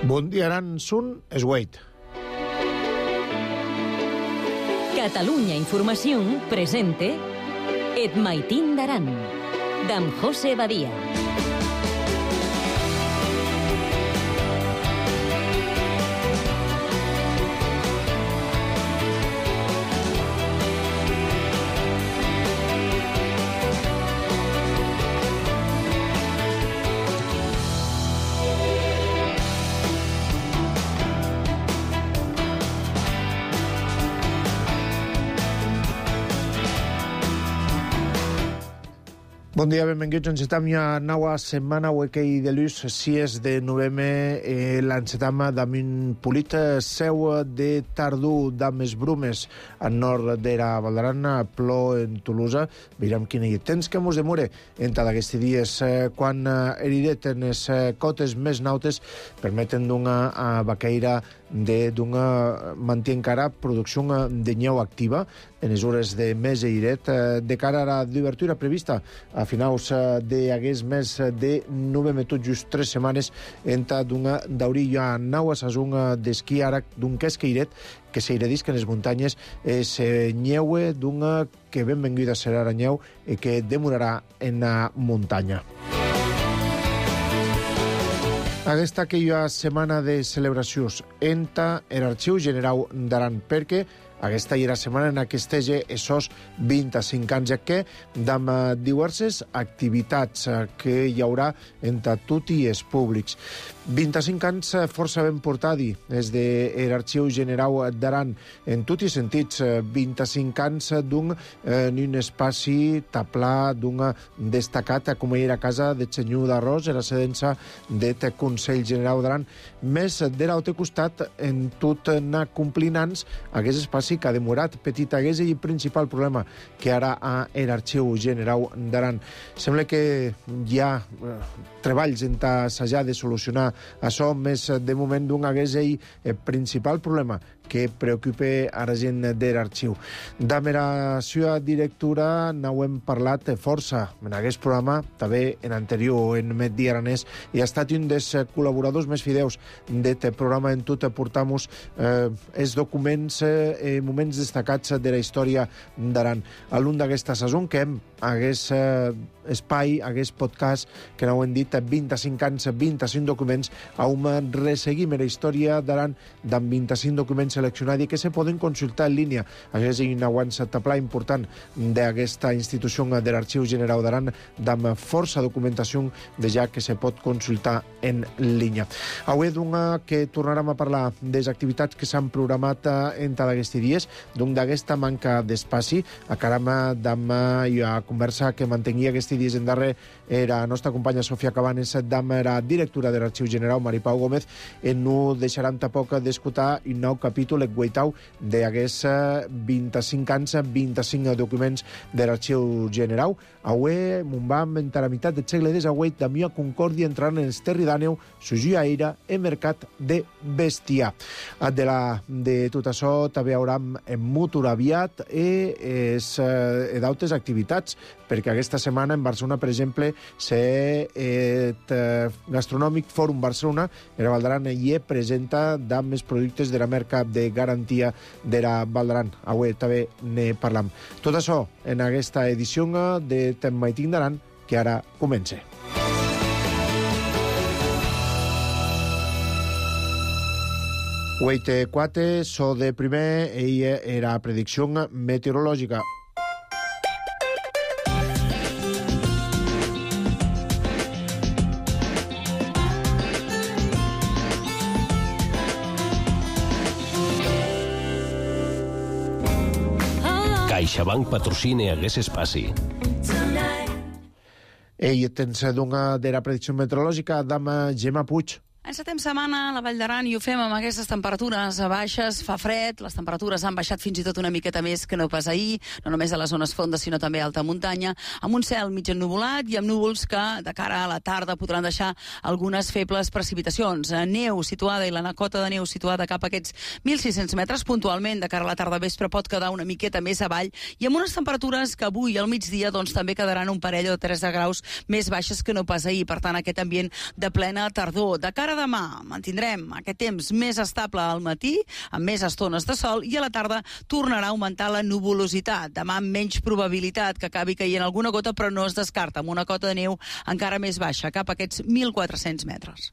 Bon dia, Aran, Sun, Esweit. Catalunya Informació presente Et Maitín d'Aran, d'en José Badia. Bon dia, benvinguts. Encetam ja nova setmana uekei de luz, 6 de novembre, l'encetam d'amin polit seu de tardú d'ames brumes al nord d'era Valdarana, plou en Tolosa. Veurem quin hi temps que mos demore entre d'aquests dies quan heridet en les cotes més nautes permeten d'una vaqueira d'una manté encara producció de nyeu activa en les hores de mes i iret de cara a la d'obertura prevista a finals d'aquest mes de novembre, tot just 3 setmanes entre d'una d'aurilla nau a sazón d'esquí ara d'un quesqueiret que s'eiredisca en les muntanyes se nyeue d'una que benvinguda serà la nyeu i que demorarà en la muntanya. Aquesta que hi ha setmana de celebracions entra l'Arxiu General d'Aran, perquè aquesta hi ha setmana en què estege esos 25 anys que amb diverses activitats que hi haurà entre tots els públics. 25 anys força ben portadi des de l'Arxiu General d'Aran en tots els sentits. 25 anys d'un espai taplà, d'un destacat com era casa de Senyor d'Arròs, la residència del Consell General d'Aran, més de l'altre costat en tot anar complint anys aquest espai que ha demorat petit hagués i principal problema que ara a l'Arxiu General d'Aran. Sembla que hi ha treballs en assajar de solucionar això, més de moment d'un hagués el principal problema que preocupa a la gent de l'arxiu. Amb la seva directora n'hem parlat força en aquest programa, també en anterior, en Medi Aranès, i ha estat un dels col·laboradors més fideus d'aquest programa. En tot portamos els documents, moments destacats de la història d'Aran. A l'un d'aquesta saison que hagués espai, hagués podcast, que n'hem dit 25 anys, 25 documents, on resseguim la història d'Aran amb 25 documents seleccionats i que se poden consultar en línia. Això és un avançatapla important d'aquesta institució de l'Arxiu General d'Aran, amb força documentació de ja que se pot consultar en línia. Avui que tornarem a parlar de les activitats que s'han programat entre d'aquests dies, d'aquesta manca d'espai. Acaram amb la conversa que mantengia aquests dies en darrer la nostra companya Sofia Cabanes, amb la directora de l'Arxiu General, Maripau Gómez. No deixarem tampoc d'escoltar un nou capítol guaitau d'aquests 25 anys, 25 documents de l'Arxiu General. Avui m'ho vam entrar a meitat del segle XIX, d'Amià Concòrdia entrant en el terri d'Àneu, sugia era el mercat de bestiar. De tot això també haurem motor aviat i d'altres activitats, perquè aquesta setmana en Barcelona, per exemple, Gastronòmic Fòrum Barcelona, era Valdaran, i presenta amb els productes de la marca de garantia de la Valdaran. Avui també ne parlam. Tot això en aquesta edició de Tem Maitín d'Aran, que ara comença. Uite 4, so de primer, ella era predicció meteorològica. CaixaBank patrocina hagués espaci. Ell tens d'una de la predicció meteorològica d'ama Gemma Puig. Encetem setmana a la Vall d'Aran i ho fem amb aquestes temperatures baixes, fa fred, les temperatures han baixat fins i tot una miqueta més que no pas ahir, no només a les zones fondes sinó també a alta muntanya, amb un cel mig ennuvolat i amb núvols que de cara a la tarda podran deixar algunes febles precipitacions. Neu situada i la cota de neu situada cap a aquests 1.600 metres, puntualment de cara a la tarda vespre pot quedar una miqueta més avall i amb unes temperatures que avui al migdia doncs també quedaran un parell o 3 de graus més baixes que no pas ahir, per tant aquest ambient de plena tardor. De cara Per demà mantindrem aquest temps més estable al matí, amb més estones de sol, i a la tarda tornarà a augmentar la nuvolositat. Demà amb menys probabilitat que acabi caient alguna gota, però no es descarta, amb una cota de neu encara més baixa, cap a aquests 1.400 metres.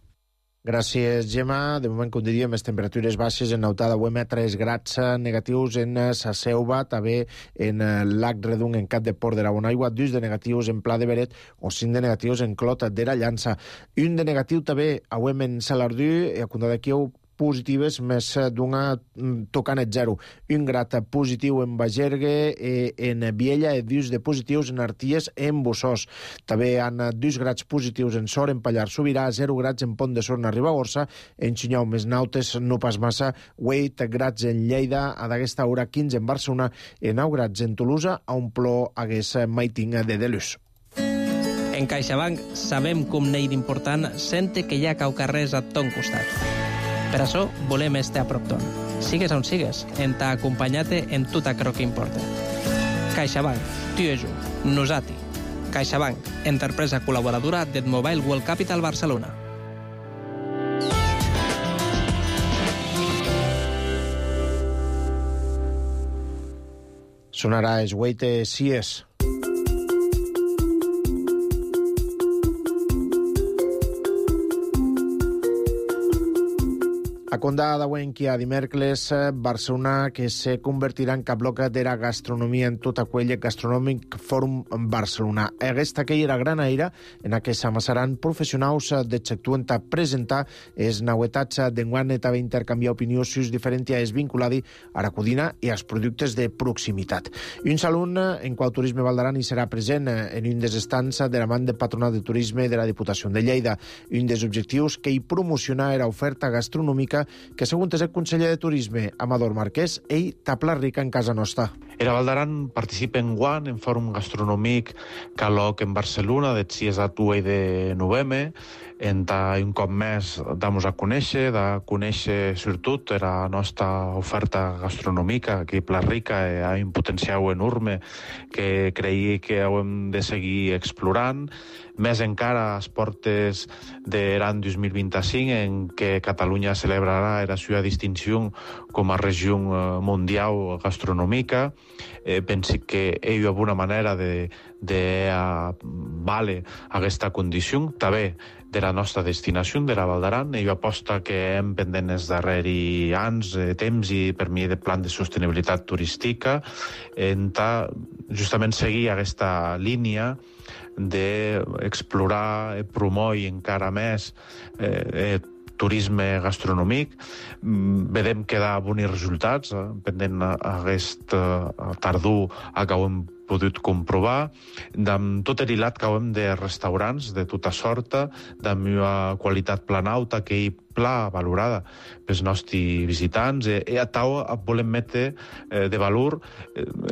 Gràcies, Gemma. De moment, com diríem, les temperatures baixes en Nautada avui 3 grads negatius en Sa Selva, també en Lac Redung, en Cap de Port de la Bonaigua, 2 de negatius en Pla de Beret o 5 de negatius en Clot de la Llança. Un de negatiu també avui en Salardú, i a comptar d'aquí positives, més d'una tocant 0. Un grat positiu en Bagergue, en Viella, i 2 de positius en Arties, en Bossós. També hi ha 2 grats positius en Sor, en Pallar Sobirà, 0 grats en Pont de Sor, en Ribagorça, en Xinyau, més nautes, no pas massa, 8 grats en Lleida, a d'aquesta hora 15 en Barcelona, i 9 grats en Tolosa, a un plor hagués Maiting de Delus. En CaixaBank sabem com n'hi d'important sente que hi ha caucarrers a ton costat. Per això volem estar a prop ton. Sigues on sigues, en t'ha acompanyat en tot aquello que importa. CaixaBank, tu i jo, nosati. CaixaBank, empresa col·laboradora del Mobile World Capital Barcelona. Sonarà Esgueite Sies. A Condà d'avui que hi ha dimecres, Barcelona, que se convertirà en cap bloc de la gastronomia en tot aquell Gastronòmic Fòrum Barcelona. Aquesta que era gran aire, en què s'amassaran professionals de sector a presentar les novetats d'enguany i també intercanviar opinions sus diferents a es vinculades a la cuina i als productes de proximitat. Un saló en qual Turisme Val d'Aran hi serà present en un dels estants de la mà del Patronat de Turisme de la Diputació de Lleida. Un dels objectius que hi promociona era oferta gastronòmica que, segons el conseller de Turisme, Amador Marquès, ell tapla rica en casa nostra. Era Val d'Aran participa en guan en fòrum gastronòmic caloc en Barcelona, de 6 a 8 de novembre, en un cop més damos a conèixer, sobretot la nostra oferta gastronòmica, que Pla Rica ha un potencial enorme que creiem que hem de seguir explorant, més encara a les portes de l'any 2025, en què Catalunya celebrarà la seva distinció com a regió mundial gastronòmica. Penso que hi ha una manera de vale aquesta condició, també de la nostra destinació, de la Val d'Aran. Hi ha aposta que hem pendent els darrers anys, temps i per mi de plan de sostenibilitat turística, en justament seguir aquesta línia d'explorar, promoure encara més turisme gastronòmic. Vedem que da bons resultats, pendent aquest tardor acabem pogut comprovar, amb tot l'hilat que hem de restaurants de tota sorta, amb una qualitat planauta que hi pla valorada pels nostres visitants. I a tau volem metre de valor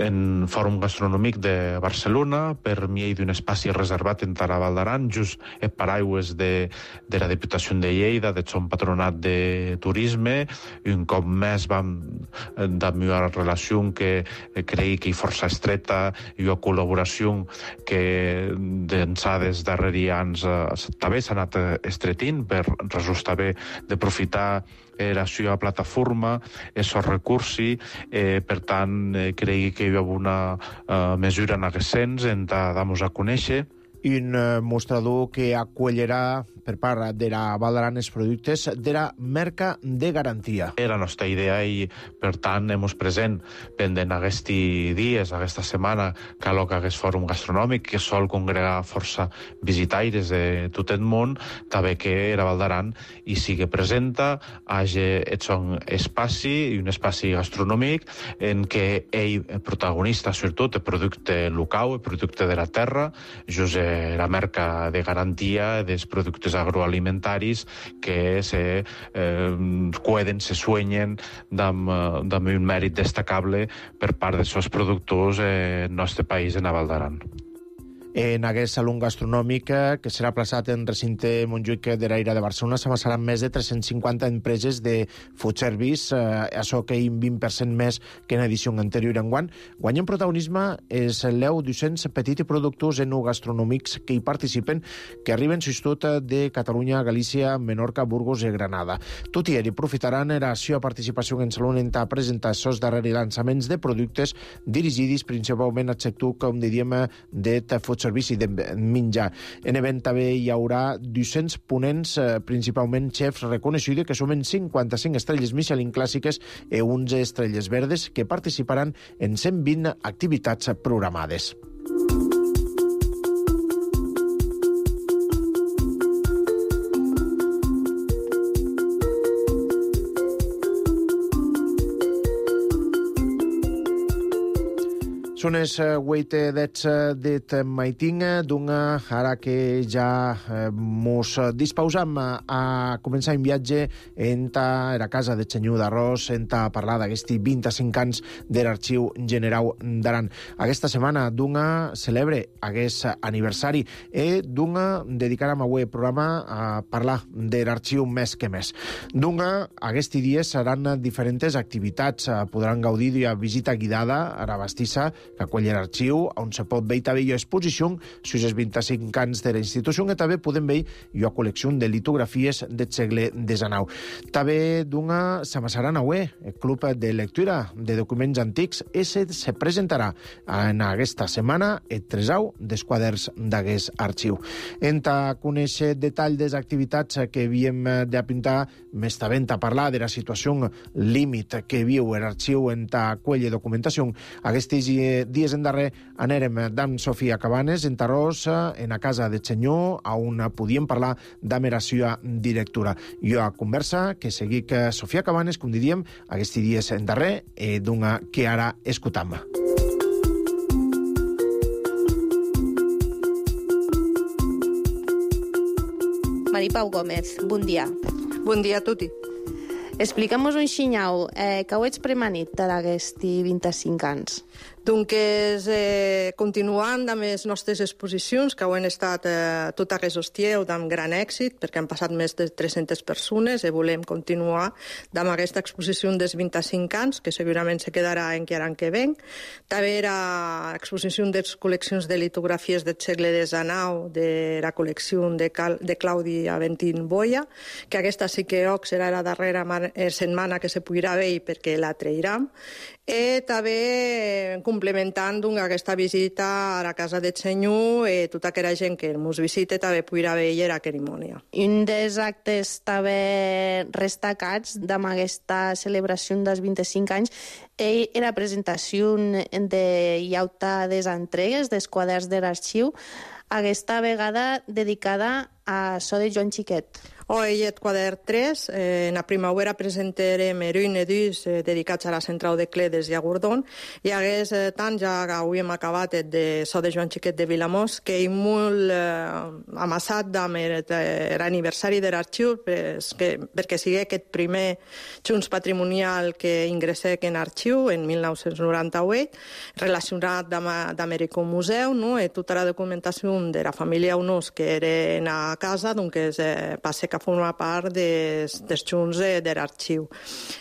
en Fòrum Gastronòmic de Barcelona, per mi d'un espai reservat en la Val d'Aran, just en paraigües de la Diputació de Lleida, del son patronat de turisme. Un cop més vam amb una relació que creiem que és força estreta i una col·laboració que d'ençà dels darrers anys també s'ha anat estretint per resultar bé d'aprofitar la seva plataforma, els recursos. Per tant, creiem que hi ha una mesura en aquest sens, en dar-nos a conèixer. Un mostrador que acollirà per part de la Val d'Aran els productes de la marca de garantia. Era la nostra idea i, per tant, hem present pendent aquests dies, aquesta setmana, que aquest fòrum gastronòmic que sol congregar força visitaires de tot el món, també que la Val d'Aran hi sigui presenta, hagi un espai i un espai gastronòmic en què ell, protagonista, sobretot, el producte local, el producte de la terra, just la marca de garantia dels productes agroalimentaris que se cuiden, se sueñen amb un mèrit destacable per part dels seus productors en el nostre país, en la Val d'Aran. En aquest saló gastronòmic que serà plaçat en recinte Montjuïc de l'Aire de Barcelona s'amassaran més de 350 empreses de food service, això que un 20% més que en edició anterior enguany. Guanyen protagonisme és l'eu 200 petits productors enogastronòmics que hi participen, que arriben tot de Catalunya, Galícia, Menorca, Burgos i Granada. Tot i aprofitaran la seva participació en saló a presentar els darrers llançaments de productes dirigits principalment al sector, com diríem, de food service i de menjar. En event també hi haurà 200 ponents, principalment xefs reconeguts, que sumen 55 estrelles Michelin clàssiques i 11 estrelles verdes, que participaran en 120 activitats programades. Són els 8 d'et maitin, ara que ja mos dispausam a començar un viatge en la casa de Senyor d'Arròs, en parlar d'aquests 25 anys de l'Arxiu Generau d'Aran. Aquesta setmana celebre aquest aniversari i dedicarem avui el programa a parlar de l'Arxiu més que més. Aquests dies seran diferents activitats. Podran gaudir d'una visita guiada a la bastissa que acull l'arxiu, on se pot veure també exposició sobre els 25 anys de la institució, que també podem veure una col·lecció de litografies del segle XIX. També s'amassaran avui el Club de Lectura de Documents Antics i se presentarà en aquesta setmana el tresau dels quaderns d'aquest arxiu. En conèixer detall de les activitats que havíem d'apuntar, més també a parlar de la situació límit que viu l'arxiu en quella documentació. Aquests dies en darrer anèrem d'en Sofia Cabanes, en Tarròs, en la casa de Senyor, on podíem parlar d'ama la seva directora. Jo a conversa que seguic Sofia Cabanes, com diríem, aquests dies en darrer, que ara escutam. Maripau Gómez, bon dia. Bon dia a tutti. Explica'm-nos un xinyau, que ho ets premanit d'aquests 25 anys? Donc, continuant amb les nostres exposicions, que han estat tot aquest hostieu amb gran èxit, perquè han passat més de 300 persones, i volem continuar amb aquesta exposició dels 25 anys, que segurament se quedarà encara que ven. També era exposició de les col·leccions de litografies del segle XIX, de la col·lecció de Claudi Aventín Boia, que aquesta sí que serà la darrera setmana que se podrà veure perquè la trairem. I també complementant aquesta visita a la casa de Senyor i tota aquella gent que ens visita també podrà veure la cerimònia. Un dels actes també destacats d'aquesta celebració dels 25 anys era la presentació de llauta des entregues dels quaderns de l'arxiu, aquesta vegada dedicada a so de Joan Xiquet. Hoy el quadern 3, en la primavera presentarem un edús dedicats a la central de Cledes i a Gordon, i hagués tant ja hauríem acabat de so de Joan Xiquet de Vilamós, que és molt amassat amb l'aniversari de l'arxiu, perquè sigui aquest primer junts patrimonial que ingressé en l'arxiu en 1998, relacionat amb l'Ericomuseu, i tota la documentació de la família Unós que era a casa, doncs passa que forma part dels junts de l'arxiu.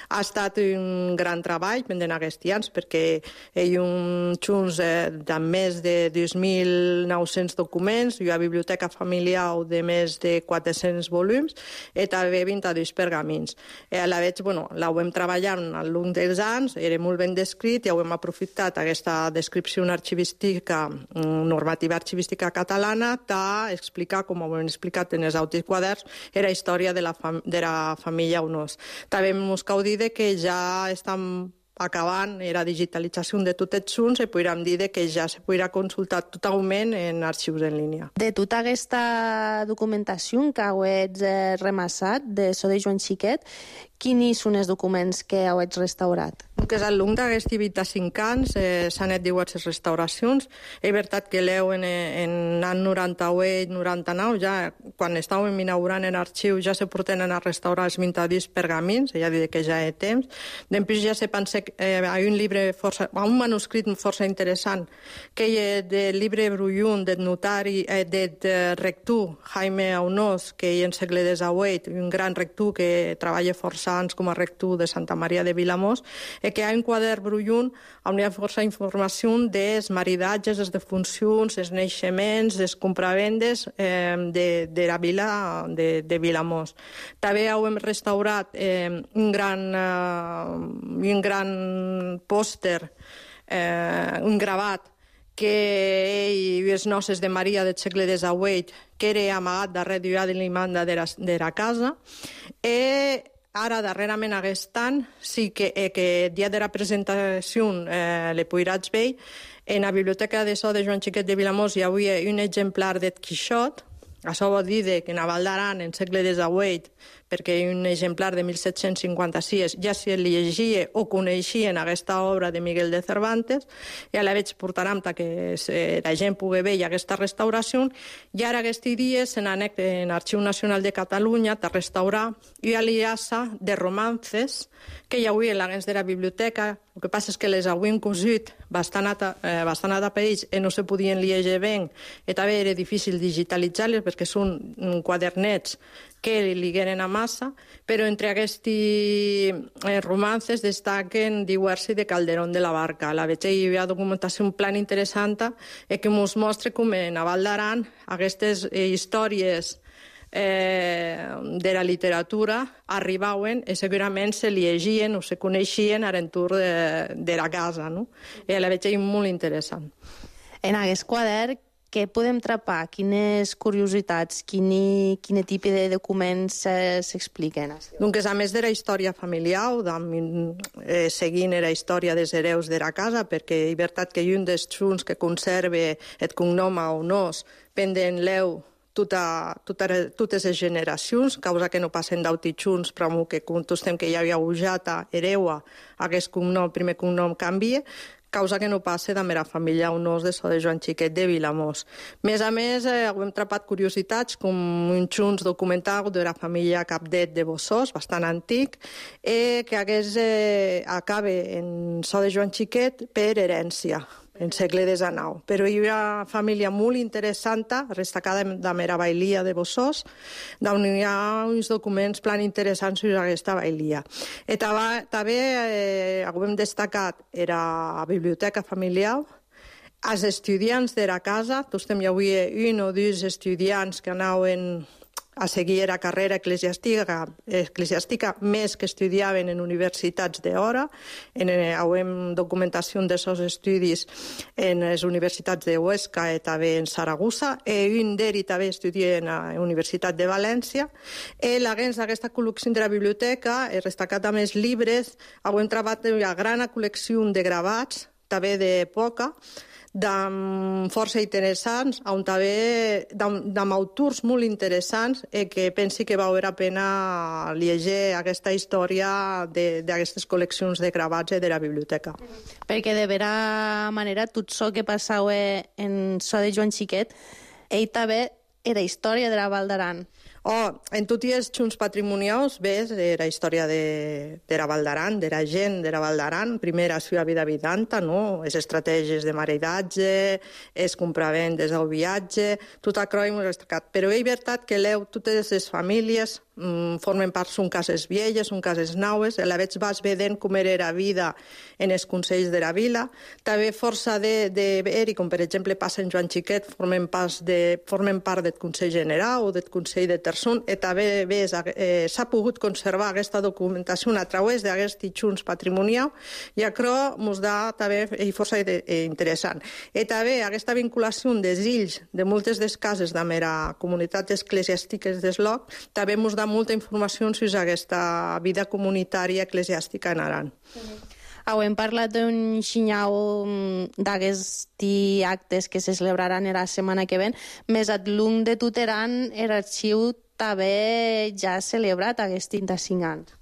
Ha estat un gran treball pendent aquests anys perquè hi ha un junts de més de 2.900 documents, hi ha una biblioteca familiar de més de 400 volums i també 22 pergamins. La veig, la hem treballat al llarg dels anys, era molt ben descrit i hem aprofitat aquesta descripció arxivística, normativa arxivística catalana, d'explicar, com ho hem explicat en els altres quaderns, la història de la família Unós. També ens cal dir que ja estem acabant la digitalització de tots els junts i podríem dir que ja se podrà consultar totalment en arxius en línia. De tota aquesta documentació que heu remassat de so de Joan Xiquet, Quins són els documents que heu restaurat? Que és al long d'aquests 25 anys s'han fet diverses restauracions. És veritat que l'eu en l'any 98-99, ja quan estàvem inaugurant l'arxiu, ja se porten a restaurar els 22 pergamins, ja diré que ja hi ha temps. Després ja se pensa que hi ha un manuscrit força interessant, que és del llibre Brullun, del notari, del rector Jaime Aunós, que hi ha en segle XVIII, un gran rector que treballa força anys com a rector de Santa Maria de Vilamós, que hi ha un quadern Brullun on hi ha força informació dels maridatges, les defuncions, els naixements, les compravendes de la vila de Vilamós. També hem restaurat un gran pòster, un gravat, que les noces de Maria del segle XVIII, que era amagat darrere d'una de l'imanda de la casa. Ara, darrerament, aquest any, sí que dia de la presentació le podràs veure, en la biblioteca de so de Joan Xiquet de Vilamós hi havia un exemplar d'Ed Quixot. Això vol dir que en la Val d'Aran, en segle XVIII, perquè hi ha un exemplar de 1756, ja se llegia o coneixien aquesta obra de Miguel de Cervantes, ja la veig portarem que la gent pugui veure aquesta restauració, i ara aquests dies en l'Arxiu Nacional de Catalunya a restaurar una aliança de romances que hi havia en l'agents de la biblioteca. El que passa és que les havien cosit bastant atapeïts i no se podien llegir bé, i també era difícil digitalitzar-les perquè són quadernets que lliguen a massa, però entre aquests romances destaquen Diversi de Calderón de la Barca. A la veig hi havia documentació, un plan interessant que ens mostra com en la Val d'Aran aquestes històries de la literatura arribaven i segurament se llegien o se coneixien a l'entorn de la casa. I la veig molt interessant. En aquest quadern, què podem trapar? Quines curiositats, quin tipus de documents s'expliquen? Doncs, a més de la història familiar, seguint la història dels hereus de la casa, perquè és veritat que un dels junts que conserva el cognom Aunós pendent l'eu totes les generacions, causa que no passen d'autitxuns, però que contestem que hi havia Ujata, hereua, aquest cognom, primer cognom canvia, causa que no passe de la família Aunós de so de Joan Xiquet de Vilamós. Més a més, hem trapat curiositats com un junts documental de la família Capdet de Bossós, bastant antic, que acaba en so de Joan Xiquet per herència, en segle XIX. Però hi ha una família molt interessant, destacada de la bailia de Bossós, on hi ha uns documents plan interessants sobre aquesta bailia. I també hem destacat la biblioteca familiar, els estudiants de la casa, hi havia un o dos estudiants que anaven a seguir la carrera eclesiàstica més que estudiaven en universitats d'hora. Hem documentació d'aquests estudis en les universitats de Huesca i també en Saragossa. Un d'ells també estudia en la Universitat de València. L'agents d'aquesta col·lecció de la biblioteca, destacat amb els llibres, hem trobat una gran col·lecció de gravats, també d'època, força interessants, on també amb autors molt interessants que pensi que val la pena llegir aquesta història d'aquestes col·leccions de gravats de la biblioteca. Perquè de vera manera tot això que passava en so de Joan Xiquet, ell també era història de la Val d'Aran. En tots els junts patrimonials ves la història de la Val d'Aran, de la gent de la Val d'Aran, primer la seva vida habitanta, les estratègies de maridatge, els compravendes, el viatge, tot això hem destacat. Però és veritat que totes les famílies formen part, són cases velles, són cases naues, a la vegada vas vedent com era la vida en els consells de la vila, també força i com per exemple passa en Joan Xiquet, formen part del Consell General o del Consell de Terçon, i també s'ha pogut conservar aquesta documentació a través d'aquests junts patrimonials, i això ens da també força interessant. I també aquesta vinculació dels ills de moltes de les cases de la comunitat eclesiàstica del lloc també ens da molta informació sobre aquesta vida comunitària eclesiàstica en Aran. Hem parlat d'un xinyau d'aquests actes que se celebraran la setmana que ve, més al long de tot Aran l'arxiu també ja ha celebrat aquests 35 anys.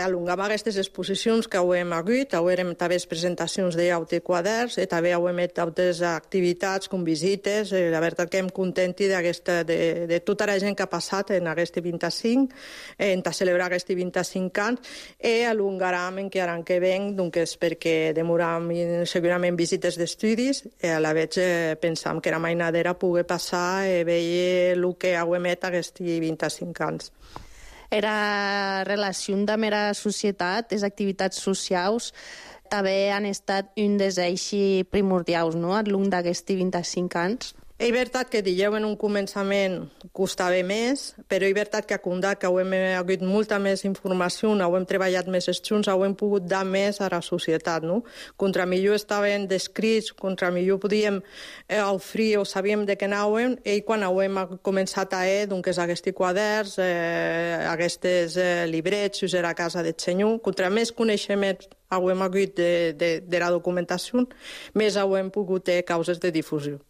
Alongam aquestes exposicions que hem hagut, hem també presentacions d'aute quaderns, també hem fet altres activitats com visites, la veritat que em contenti de tota la gent que ha passat en aquest 25, en celebrar aquests 25 anys, i alongaram encara l'any que ven, doncs perquè demoram segurament visites d'estudis, i a la vegada pensam que era mainadera poder passar i veure el que hem fet aquests 25 anys. Era relació amb la societat, les activitats socials, també han estat un dels eixos primordials, no?, al llarg d'aquests 25 anys. És veritat que dieu en un començament costava més, però és veritat que a Condat que hem hagut molta més informació, hem treballat més junts, hem pogut dar més a la societat, no? Contra millor estaven descrits, contra millor podíem oferir o sabíem de què anàvem, i quan hem començat a doncs aquests quaderns, aquests llibrets, us era a casa del senyor, contra més coneixements hem hagut de la documentació, més hem pogut ter causes de difusió.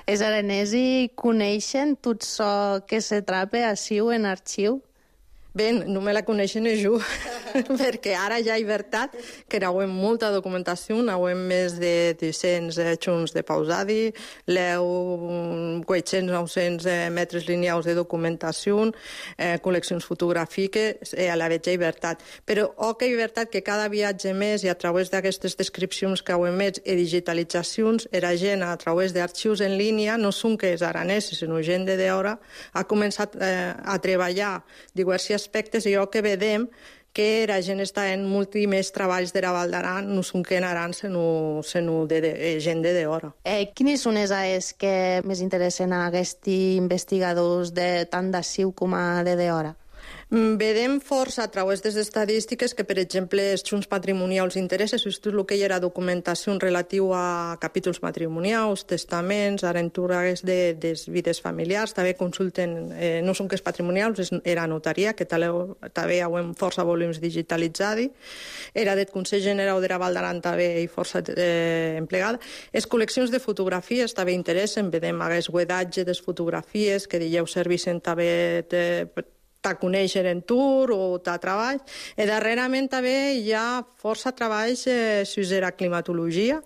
Els aranesos coneixen tot això que se trapa així en arxiu? Bé, no me la coneixen jo, perquè ara ja és veritat que n'hem molta documentació, n'hem més de 200 junts de pausadi, 800-900 metres lineals de documentació, col·leccions fotogràfiques, a la vegada és veritat. Però que és veritat que cada viatge més i a través d'aquestes descripcions que hem fet i digitalitzacions, la gent a través d'arxius en línia, no són que els aranesos, sinó gent de d'hora, ha començat a treballar diversos aspectes i que vedem que la gent està en molts més treballs de la Val d'Aran, no són que en Aran, sinó de gent de d'hora. Quines són les AES que més interessen a aquests investigadors tant d'Assiu com de d'hora? Vedem força a través de les estadístiques que, per exemple, els junts patrimonials interessa, tot el que hi era documentació relatiu a capítols matrimonials, testaments, aventures de vides familiars, també consulten, no són que és patrimonials, era notaria, que també hem força volums digitalitzats, era del Consell General de la Val d'Aran també i força emplegada. Les col·leccions de fotografies també interessen, vedem aquest guedatge de les fotografies que dieu servissen també a conèixer en tour o a treball. I darrerament també hi ha força treballs sobre la climatologia,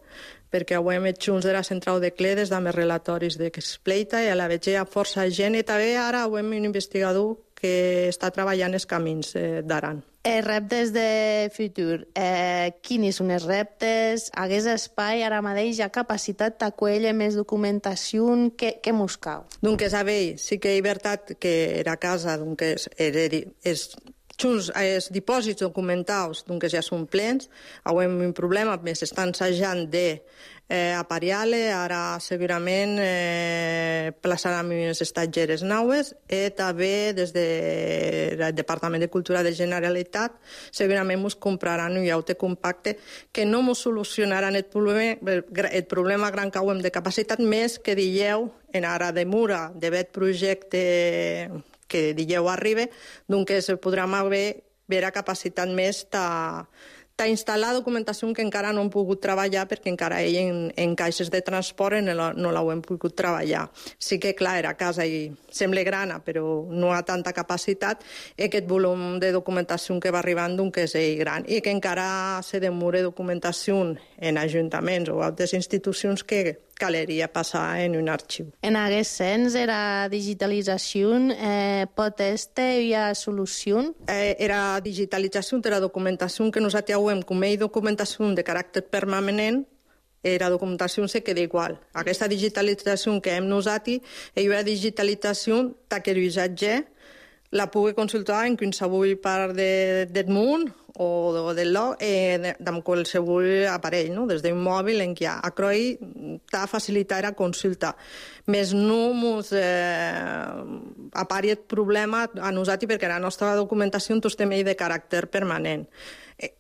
perquè hem fet junts de la central de Cledes, amb els relatoris d'Expleita, i a la vegada hi ha força gent, i també ara hem un investigador que està treballant els camins d'Aran. Reptes de futur. Quins són els reptes? Hagués espai ara mateix, hi ha capacitat d'acollir més documentació? Què mos cal? Donc, sí que és veritat que la casa, els dipòsits documentals ja són plens, hem un problema, més estan ensajant d'aparellar-le, ara segurament plaçaran unes estatgeres noves, i també des del Departament de Cultura de Generalitat segurament ens compraran un llaute compacte que no ens solucionaran el problema gran que hem de capacitat, més que dieu en ara de Mura, d'aquest projecte que dieu arriba, doncs podrem haver capacitat més d'instal·lar documentació que encara no hem pogut treballar perquè encara en caixes de transport no l'hem pogut treballar. Sí que, clar, la casa sembla grana, però no ha tanta capacitat, i aquest volum de documentació que va arribant és gran, i que encara se demora documentació en ajuntaments o altres institucions que caleria passar en un arxiu. En aquest sens, la digitalització pot estar una solució? La digitalització de la documentació que nosaltres hem com a documentació de caràcter permanent, la documentació se queda igual. Aquesta digitalització que hem nosaltres és una digitalització que l'usatger la pugui consultar en qualsevol part del món o del lloc amb qualsevol aparell, no? Des d'un mòbil en què a Croi t'ha facilitat la consulta. Més no ens apari el problema a nosaltres perquè la nostra documentació és de caràcter permanent.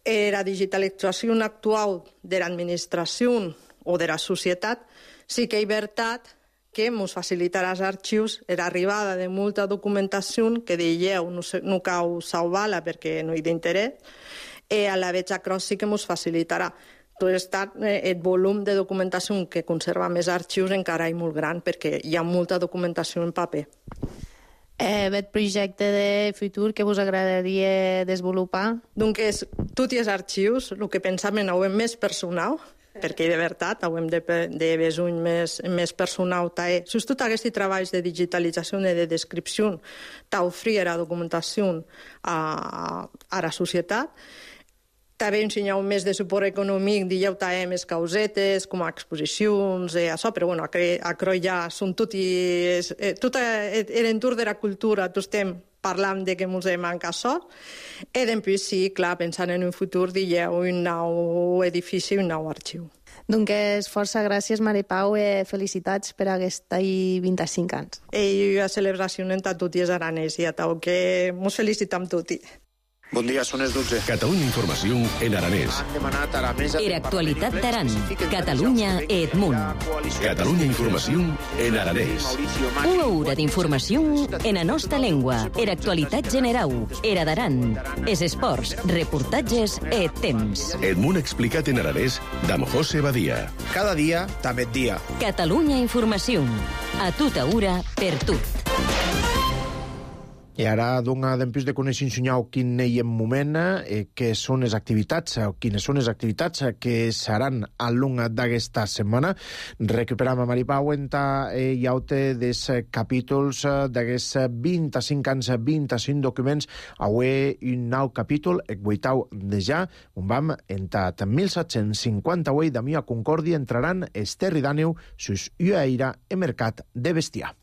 La digitalització actual de l'administració o de la societat sí que és veritat que ens facilitarà als arxius l'arribada de molta documentació que dieu no cal salvar-la perquè no hi ha d'interès, i a la vegada que sí que ens facilitarà. El volum de documentació que conserva més arxius encara és molt gran perquè hi ha molta documentació en paper. Bet projecte de futur que us agradaria desenvolupar? Donc, tots els arxius, el que pensàvem és més personal, perquè de veritat hem de besoin més personal. Sobretot aquests treballs de digitalització i de descripció t'oferir la documentació a la societat. També ensenyeu més de suport econòmic, dieu també més causetes, com a exposicions, això, però bueno, a Croi ja són tot l'entorn de la cultura, tots estem parlant de que ens manca això, i després sí, clar, pensant en un futur, dieu un nou edifici, un nou arxiu. Donc, força gràcies, Maripau, i felicitats per aquesta 25 anys. I la celebració en tots els aranès, i a tau que ens felicitem tots. Bon dia, són les 12. Catalunya Informació en aranès. Era actualitat d'Aran, Catalunya e Edmunt. Catalunya Informació en aranès. Una hora d'informació en la nostra llengua. Era actualitat generau, era d'Aran. Es esports, reportatges e temps. Edmunt explicat en aranès d'Am José Badia. Cada dia, també dia. Catalunya Informació. A tota hora, per tot. I ara dona d'empís de conèixer quin hi en moment, que són les activitats, o quines són les activitats que seran al long d'aquesta setmana. Recuperam a Maripau en llaute dels capítols d'aquests 25 anys, 25 documents. Avui un nou capítol, el 8 de ja, on vam entrar en 1758 de Mia Concòrdia entraran Esterri d'Àneu sus Uaira e Mercat de Bestiar.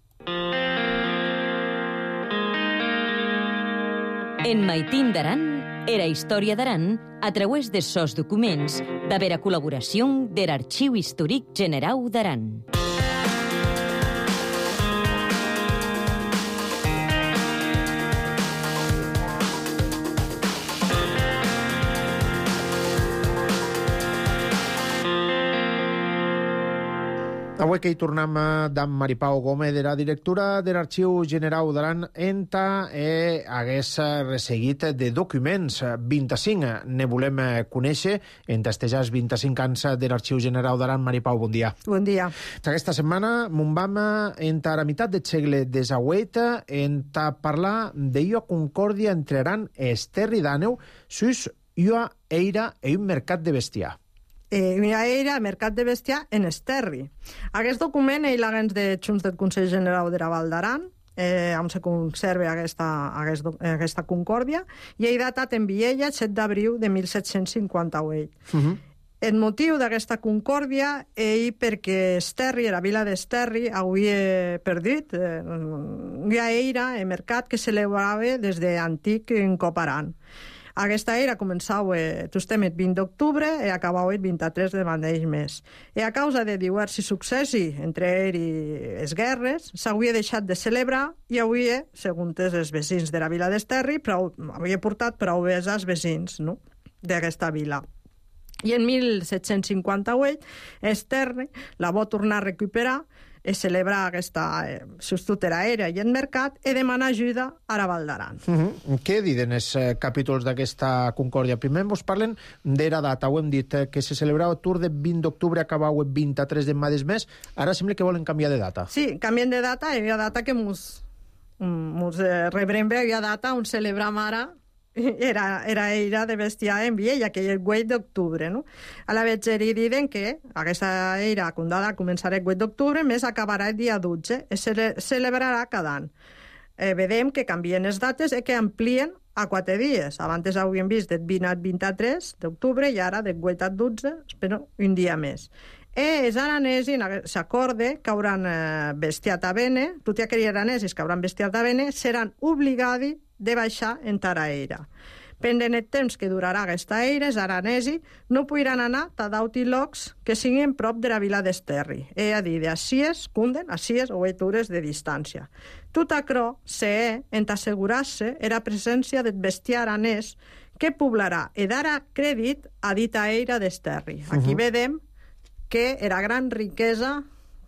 En Maitín d'Aran, era història d'Aran a través de sos documents d'haver a col·laboració de l'Arxiu Històric Generau d'Aran. Avui que hi tornem d'en Maripau Gómez, de la directora de l'Arxiu Generau d'Aran, enta hagués resseguit de documents. 25 ne volem conèixer, enta estejars 25 anys de l'Arxiu Generau d'Aran. Maripau, bon dia. Bon dia. Aquesta setmana mon vam enta la meitat del segle XVIII enta parlar d'io concòrdia entre Aran e Esterri d'Àneu sus ua eira e un mercat de bestiar. Era mercat de bestiar en Esterri. Aquest document ell l'haguens de Junts del Consell Generau de la Val d'Aran, on se conserva aquesta concòrdia, i ell datat en Viella el 7 d'abril de 1758. El motiu d'aquesta concòrdia és perquè Esterri, la vila d'Esterri, havia perdut una eira en mercat que celebrava des d'antic en Coparan. Aquesta era començava el 20 d'octubre i acabava el 23 de mateix mes. I a causa de diversos successos, entre ells i les guerres, s'havia deixat de celebrar i havia, segons els veïns de la vila d'Esterri, havia portat prou bé als veïns d'aquesta vila. I en 1758 Esterri la va tornar a recuperar i celebrar aquesta sostutera aèria i en mercat i demanar ajuda a la Val d'Aran. Què diuen els capítols d'aquesta concòrdia? Primer ens parlen de la data. Ho hem dit que se celebrava el tour de 20 d'octubre, acabava el 23 de mateix mes. Ara sembla que volen canviar de data. Sí, canvien de data. Hi ha data que ens rebrem bé, hi ha data on celebram ara era eira de bestiar en Viella, que és el 8 d'octubre. A la vegera diuen que aquesta eira condada començarà el 8 d'octubre, més acabarà el dia 12, i se celebrarà cada any. Vedem que canvien les dates i que amplien a 4 dies. Abans havíem vist del 20 al 23 d'octubre i ara del 8 al 12, però un dia més. Els aranesos s'acorden que hauran bestiat a bene, tots aquells aranesos que hauran bestiat a bene seran obligats de baixar en Taraera. Pendent el temps que durarà aquesta eira, els aranesos no podran anar a d'autres llocs que siguin prop de la vila d'Esterri, és a dir, de Asies, Cunden, a 6 o 8 hores de distància. Tot això s'ha d'assegurar-se la presència del bestiar aranès que poblarà i darà crèdit a dita eira d'Esterri. Aquí vedem que era gran riquesa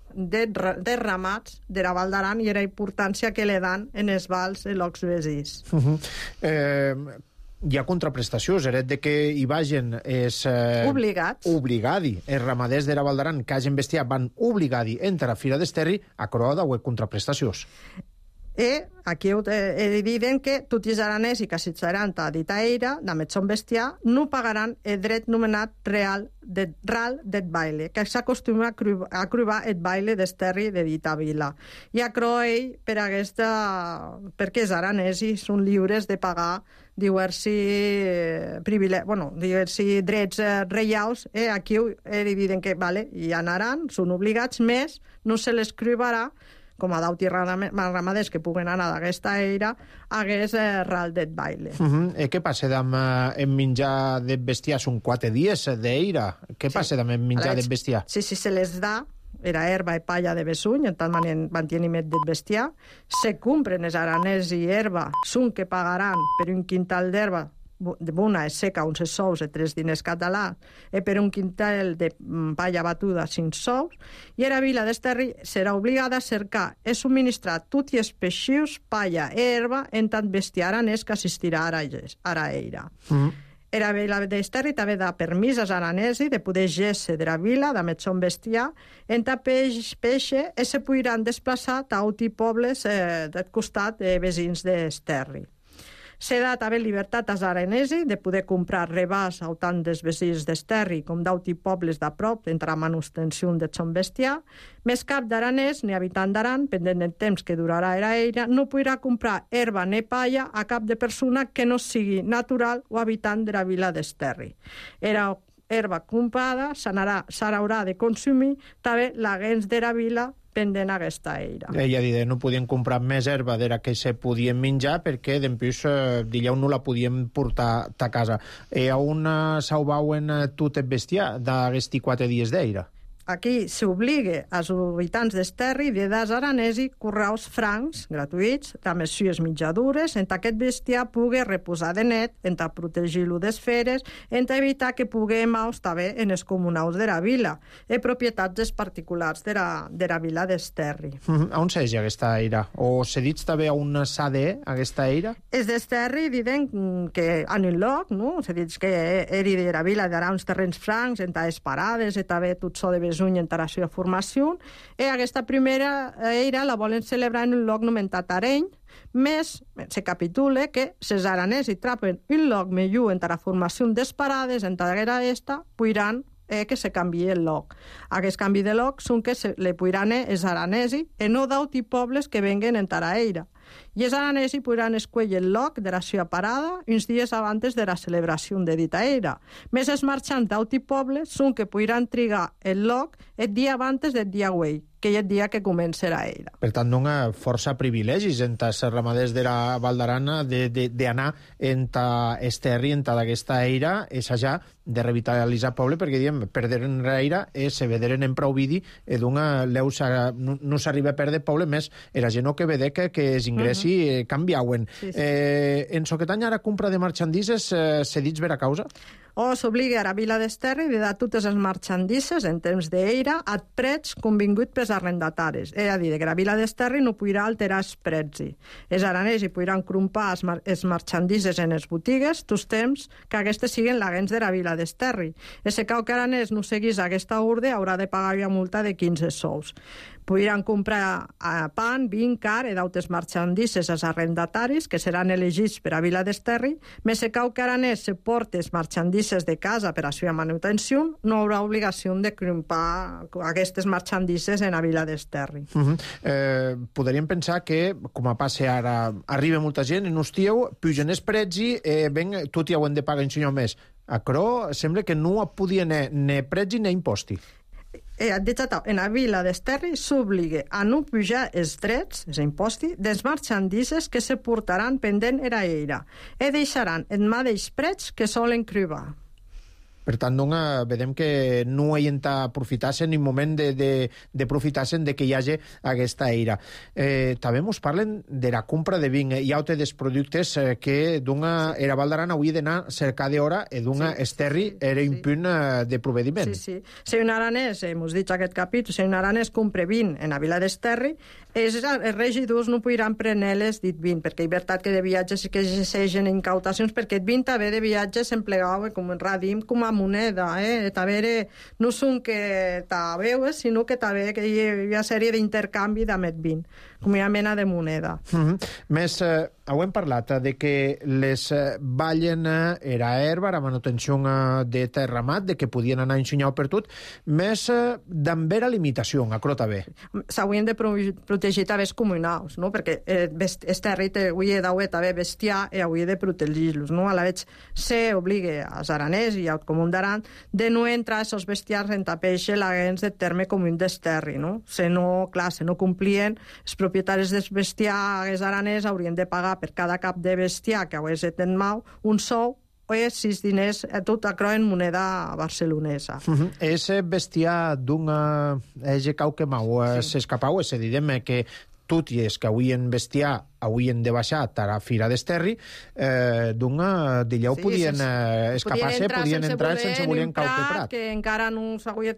de ramats de la Val d'Aran i la importància que li dan en els vals i llocs veïns. Hi ha contraprestacions, de que hi vagin obligats. Els ramaders de la Val d'Aran que hagin bestiat van obligats entre la Fira d'Esterri a croa de contraprestacions. aquí diuen que tots els aranesi que assitjaran a dita eira, de metson bestiar, no pagaran el dret nomenat ral det baile, que s'acostuma a cruvar el baile d'esterri de dita vila. I a Croell, perquè els aranesi són lliures de pagar diversi drets reials, aquí diuen que hi anaran, són obligats, més no se les cribarà com a d'auti ramaders que puguen anar d'aquesta eira, hagués ral det baile. Què passa amb menjar de bestiar? Són 4 dies d'eira. Què passa amb menjar de bestiar? Si se les da, era herba i palla de besuny, en tant manteniment del bestiar, se compren els aranès i herba, són que pagaran per un quintal d'herba, una és seca, uns sous, 3 diners catalans, i per un quintal de palla batuda, 5 sous, i la vila d'Esterri serà obligada a cercar i subministrar tots els peixius, palla i herba en tant bestiar aranès que assistirà a la eira. La vila d'Esterri també da permís als aranesi de poder gesse de la vila, de metson bestiar, en tant peixe, i se podran desplaçar a altres pobles del costat de veïns d'Esterri. Se da també llibertat als aranesi de poder comprar rebàs a tant dels veïns d'Esterri com d'altres pobles de prop entre la manutenció de son bestiar, més cap d'aranès ni habitant d'Aran, pendent del temps que durarà la eira, no podrà comprar herba ni palla a cap de persona que no sigui natural o habitant de la vila d'Esterri. Era herba comprada s'haurà de consumir també la gens de la vila pendent aquesta eira. Ella dit, no podien comprar més herba de la que se podien menjar perquè d'empús dillau no la podien portar a casa. On s'aubauen tot el bestiar d'aquests 4 dies d'eira? Aquí s'obliga als habitants d'Esterri de dar aranesi correus francs, gratuïts, amb les sues mitjadures, en aquest bestiar pugui reposar de net, en protegir-lo d'esferes, en evitar que pugui maus també en els comunaus de la vila, i propietats dels particulars de la vila d'Esterri. On s'és aquesta eira? O se dit també on s'ha aquesta eira? Els d'Esterri diuen que en un lloc, no? Se dit que eri de la vila d'ara uns terrenys francs, en les parades, i també tot so de besuny en la seva formació, i aquesta primera eira la volen celebrar en un lloc nomenat Areny, més se capitula que els aranesi trapen un lloc millor en la formació des parades, en la esta, podran que se canvi el lloc. Aquest canvi de lloc són que le podran els aranesi i no d'altres pobles que venguen en la eira. I els aranesi podran escollir el lloc de la seva parada uns dies abans de la celebració de dita eira. Més els marxants d'altres pobles són que podran trigar el lloc el dia abans del dia güell, que és el dia que comença la eira. Per tant, dona força privilegis entre els ramaders de la Val d'Aran d'anar entre Esterri, entre aquesta eira, és allà de revitalitzar el poble, perquè diem, perderen l'eira i se vederen en prou vidi, no s'arriba a perdre poble, més era gent que vede que els ingressi canviauen. En Soquetany, ara compra de marxandises cedits per a causa? S'obliga a la vila d'Esterri de dar totes les marxandises en temps d'eira a preus convingut pels arrendataris. És a dir, que la vila d'Esterri no podrà alterar els preus. Els aranesi podran comprar les marxandises en les botigues tots temps que aquestes siguin la gens de la vila d'Esterri. I si cau que aranès no seguís aquesta ordre, haurà de pagar una multa de 15 sous. Podran comprar pan, vin, car i d'altres marxandises als arrendataris que seran elegits per a vila d'Esterri, més si cau que aranès se porta les marxandises de casa per a la seva manutenció, no haurà obligació de comprar aquestes marxandises en la vila d'Esterri. Podríem pensar que, com a passe ara, arriba molta gent, en hostieu, pugen els preus i tot hi ho hem de pagar un senyor més. A Cro sembla que no podien ni preus ni imposti. En la vila d'Esterri s'obliga a no pujar els drets, els impostos, dels marxandises que se portaran pendent era eira i deixaran el mateix preu que solen cribar. Per tant, vedem que no hi aprofitar-se ni moment d'aprofitar-se de que hi hagi aquesta eira. També ens parlen de la compra de vin. Hi ha altres productes que era Val d'Aran hauria d'anar a cercar d'hora i Esterri era un punt de provediment. Sí. Si un aranès, hemos dit aquest capítol, si un aranès compra vin en la vila d'Esterri, els regidors no podran prendre-les dit vin, perquè hi veritat que de viatges que s'eixen incautacions, perquè el vin també de viatges s'emplegava com un radim, com a moneda, també no són que t'aveu, sinó que també que hi ha sèrie d'intercanvi d'amet vin, com hi ha mena de moneda. Més, hem parlat de que les ballen era herba, la manutenció de terramat, de que podien anar ensenyant per tot, més d'ambera limitació, acro també. S'haurien de protegir també els comunals, no? Perquè el terri hauria d'haver també bestiar i hauria de protegir-los, no? A la vegada se obliga als aranès i al comú d'Aran de no entrar els bestiars en tapeixe l'agents de terme comú d'esterri, no? Se no complien, els propietaris del bestiar aranès haurien de pagar per cada cap de bestiar que hagués en mau un sou o 6 diners, tot acro en moneda barcelonesa. És bestiar d'una cau que mau s'escapau, és a dir, que tot i és que avui en bestiar haurien de baixar a la fira d'Esterri, d'allà podien escapar-se, podien entrar sense voler en Cauteprat. Que encara no s'hauria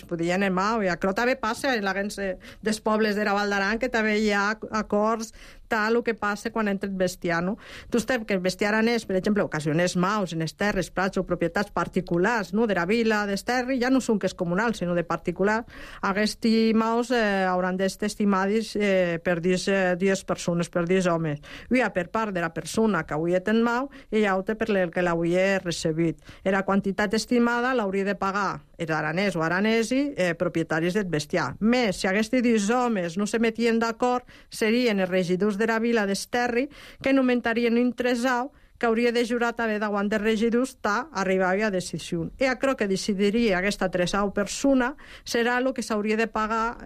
podien en mau. I això també passa en l'agents dels pobles de la Val d'Aran, que també hi ha acords tal el que passa quan entra el bestiar, no? Tu saps que el bestiar aranès, per exemple, ocasionés maus en terres, prats o propietats particulars, no? De la vila d'Esterri, ja no són que és comunal, sinó de particular. Aquests maus hauran d'estar estimats per 10 persones, per 10 homes. Hi ha per part de la persona que avui ten mau i hi ha per el que l'hauria recebit. La quantitat estimada l'hauria de pagar els aranès o aranesi propietaris del bestiar. Més, si aquests 10 homes no se metien d'acord, serien els regidors de la vila d'Esterri que nomentarien un tresau que hauria de jurar també davant de regidors arribar a decisió. I crec que decidiria aquesta tresau persona serà el que s'hauria de pagar,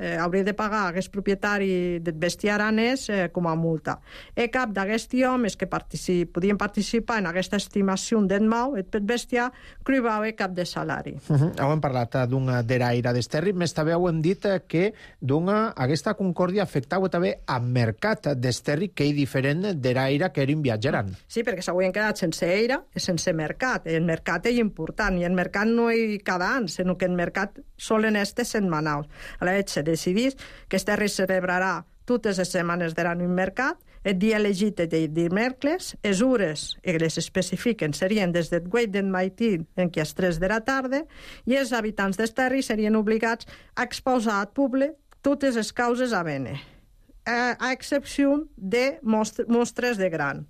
aquest propietari del bestiar aranès com a multa. I cap d'aquests homes que podien participar en aquesta estimació del mau, el bestiar, cribava cap de salari. Hem parlat de l'aire d'Esterri, més també hem dit que aquesta concòrdia afectava també al mercat d'Esterri, que és diferent de l'aire que eren viatjaran. Sí, perquè s'havien quedat sense aire i sense mercat. El mercat és important, i el mercat no és cada any, sinó que el mercat solen estar setmanals. A la vegada se decidís que Esterri celebrarà totes les setmanes de l'any un mercat, el dia elegit és el dimecres, les hores que les especifiquen serien des del 8 del matí en què a les 3 de la tarda, i els habitants d'Esterri serien obligats a exposar al públic totes les causes a bene, a excepció de mostres de gran.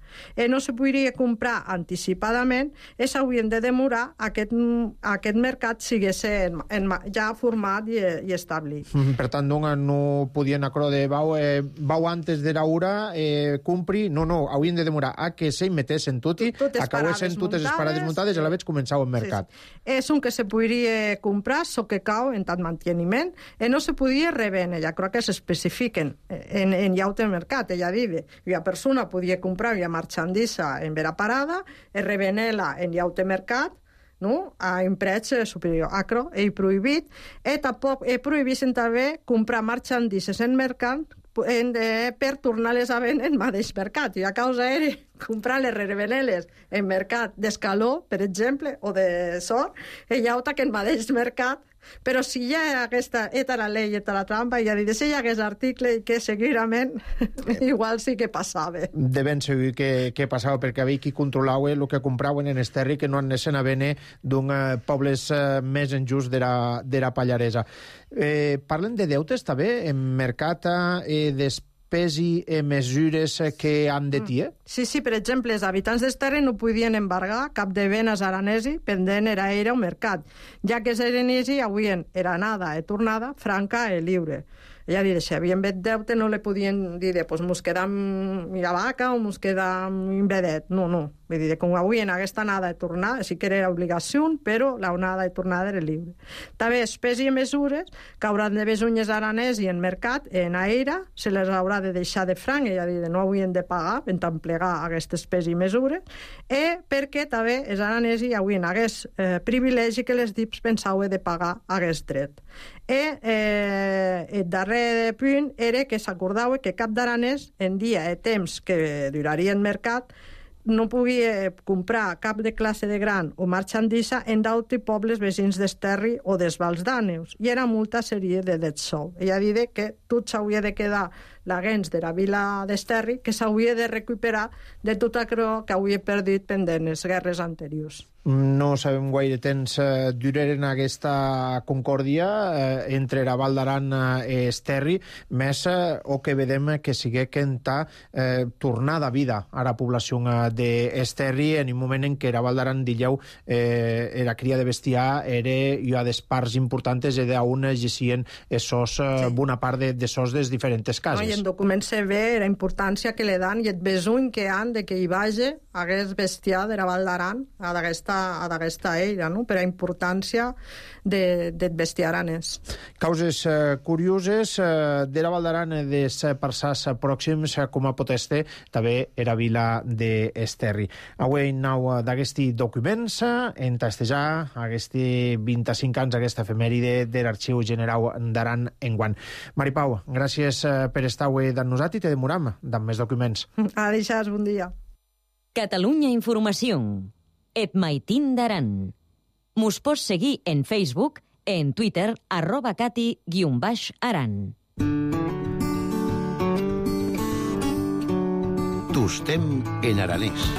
No se podria comprar anticipadament i s'haurien de demorar aquest mercat sigués ja format i establit. Per tant, no podien acro de vau antes de l'hora comprir, no, haurien de demorar a que se metessin tot i acabessin totes les parades muntades i a la vegada començava el mercat. És un que se podria comprar, so que cau en tant manteniment, i no se podia revendre, ja crec que s'especifiquen en llaute mercat, ella diu, la persona podia comprar la marxandissa en vera parada i revendre-la en llaute mercat, no? A un preu superior. Acro és prohibit, i tampoc prohibissin també comprar marxandisses en mercat per tornar-les a vendre en mateix mercat. I a causa era comprar-les, revendre-les en mercat d'escaló, per exemple, o de sort, i llauta que en mateix mercat. Però si ja aquesta era la llei, era la trampa, ja dit, si hi hagués article i que segurament igual sí que passava. De ben segur que passava, perquè havia qui controlava el que compraven en Esterri, que no anessin a vendre d'un pobles més enjust de la Pallaresa. Parlen de deutes també en mercat despesi mesures que han de tiar? Sí, per exemple, els habitants d'Esterri no podien embargar cap de béns aranesi pendent era o mercat, ja que els aranesi avuen era anada i tornada franca i lliure. Ja dir, si havien vet deute no li podien dir, pues mos quedam la vaca o mos quedam un vedet. No. Vull dir, com avui en aquesta anada de tornar, sí que era obligació, però la anada de tornada era lliure. També espècies i mesures que hauran de besunyes aranès i en mercat, en aire, se les haurà de deixar de franc, ja dir, no haurien de pagar en tant plegar aquestes espècies i mesures, i perquè també els aranès hi haurien aquest privilegi que les DIPs pensaven de pagar aquest dret. I el darrer punt era que s'acordava que cap d'aranès en dia i temps que duraria el mercat no podia comprar cap de classe de gran o marxandissa en d'altres pobles veïns d'Esterri o dels Vals d'Àneus, i era molta sèrie de sou. Ella dit que tot s'hauria de quedar la gens de la vila d'Esterri, que s'hauria de recuperar de tot allò que hauria perdut pendent les guerres anteriors. No sabem gaire temps duraren aquesta concòrdia entre la Val d'Aran i Esterri, més o que vedem que sigue quenta tornada a vida a la població d'Esterri en un moment en què la Val d'Aran dilleu la cria de bestiar era una de les parts importants i d'on gessien bona part de sos des diferents cases. I en documents se ve la importància que le dan i el besony que han de que hi vagi aquest bestiar de la Val d'Aran a d'aquesta era, no? Per la importància del bestiar aranès. Causes curioses de la Val d'Aran dels parçars pròxims com a poteste també era vila d'Esterri. Avui nau d'aquesti documents en tastejar aquests 25 anys aquesta efemèride de l'Arxiu Generau d'Aran enguant. Mari Pau, gràcies per estar avui amb nosaltres i te demoram amb més documents. Adéu, bon dia. Catalunya Informació. Et maitin d'Aran. Mos pots seguir en Facebook, en Twitter, @cati_aran. Tostem en aranès.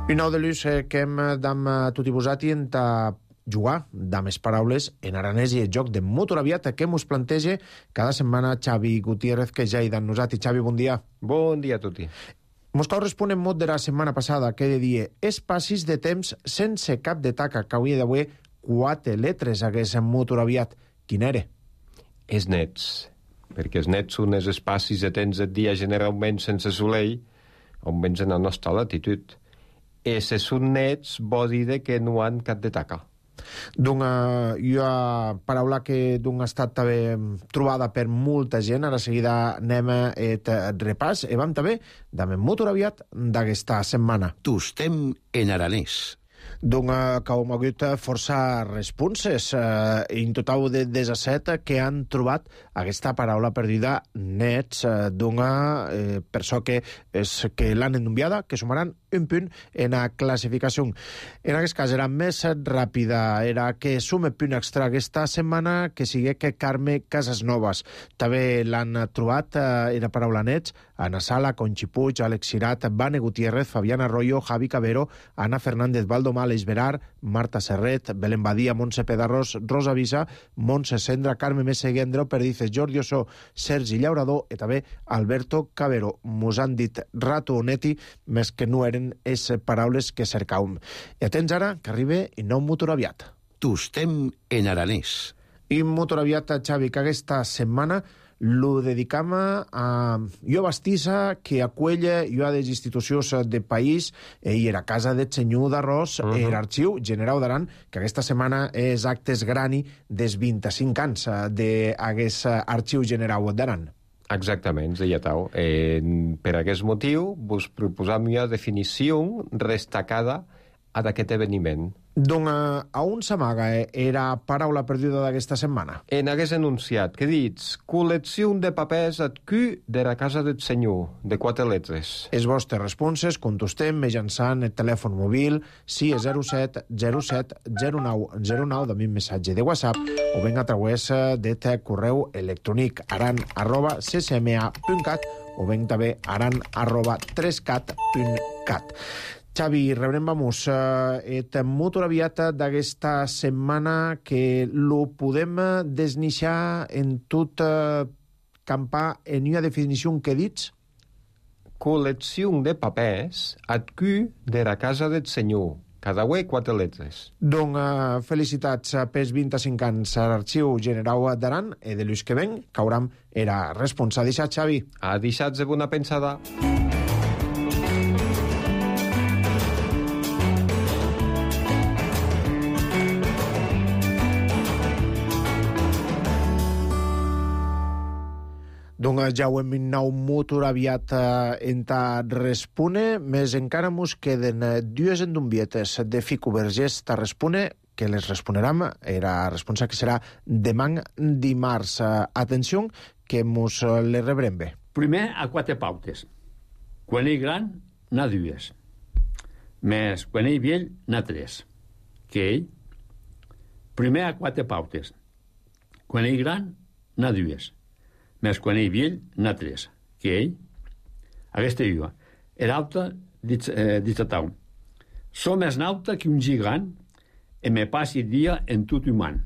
I nou de l'ús que hem d'am tutti vosati en ta jugar amb les paraules en aranès i el joc de Motoraviat que mos planteja cada setmana Xavi Gutiérrez, que ja hi d'en nosaltres. Xavi, bon dia. Bon dia a tutti. Mos cal respondre en mot de la setmana passada, que de dir espacis de temps sense cap de taca, que hauria d'haver 4 letres hagués en Motoraviat. Quin era? Els nets, perquè els nets són els espacis de temps del dia generalment sense soleil, on vens en la nostra latitud. I si són nets, vol dir que no han cap de taca. Una paraula que ha estat també trobada per molta gent. Ara seguida anem et repàs i vam també amb Motoraviat d'aquesta setmana. Tostem en aranès. Que hem hagut força responses, en total de 17 que han trobat aquesta paraula perdida nets, per això que l'han enviada, que sumaran un punt en la classificació. En aquest cas era més ràpida, era que sume punt extra aquesta setmana que sigui que Carme Casasnovas. També l'han trobat, era paraula nets, Ana Sala, Conchi Puig, Àlex Cirat, Vane Gutiérrez, Fabián Arroyo, Javi Cabero, Ana Fernández, Valdomar, Esberar, Marta Serret, Belén Badia, Montse Pedarrós, Rosa Visa, Montse Sendra, Carme Meseguendro, Perdices, Jordi Ossó, Sergi Llaurador i també Alberto Cabero. Mos han dit rato o neti, més que no eren les paraules que cercàvem. I atents ara, que arriba i nou Motoraviat. Tostem en aranès. I Motoraviat, Xavi, que aquesta setmana lo dedicam a jo bastissa que acuella jo a les institucions de país i era Casa del Senyor d'Arròs i l'Arxiu Generau d'Aran, que aquesta setmana és actes grani des 25 anys d'aquest Arxiu Generau d'Aran. Exactament, ja tau. Per aquest motiu, vos proposam una definició destacada d'aquest eveniment. A on s'amaga era paraula perduda d'aquesta setmana? En aquest enunciat, que dits, col·lecció de papers ad Q de la Casa del Senyor, de 4 letres. Els vostres responses contestem mitjançant el telèfon mòbil 607 07 09 09 de mi missatge de WhatsApp o ben a través del correu electrònic aran@ccma.cat o ben també aran@3cat.cat. Xavi, rebrem, vamos, et Motoraviat d'aquesta setmana que lo podem desnixar en tot campar en una definició que dits? Col·lecció de papers ad Q de la Casa del Senyor. Cada uè 4 letres. Felicitats pels 25 anys a l'Arxiu Generau d'Aran i de l'ús que ven, que hauram era responsable. Deixat, Xavi. A deixats de bona pensada. Ja ho hem nou Motoraviat en ta respone, més encara mos queden 2 endumbietes de Fico Vergés ta respone, que les responeram, era responsa que serà demà dimarts. Atenció, que mos les rebrem bé. Primer, a 4 pautes. Quan ell gran, n'ha 2. Més, quan ell vell, n'ha 3. Que ell? Primer, a 4 pautes. Quan ell gran, n'ha dues. Més quan ell vell, n'ha tres. Que ell, aquesta viva, era alta, ditatau. Som més nauta que un gigant e me passi dia en tot human.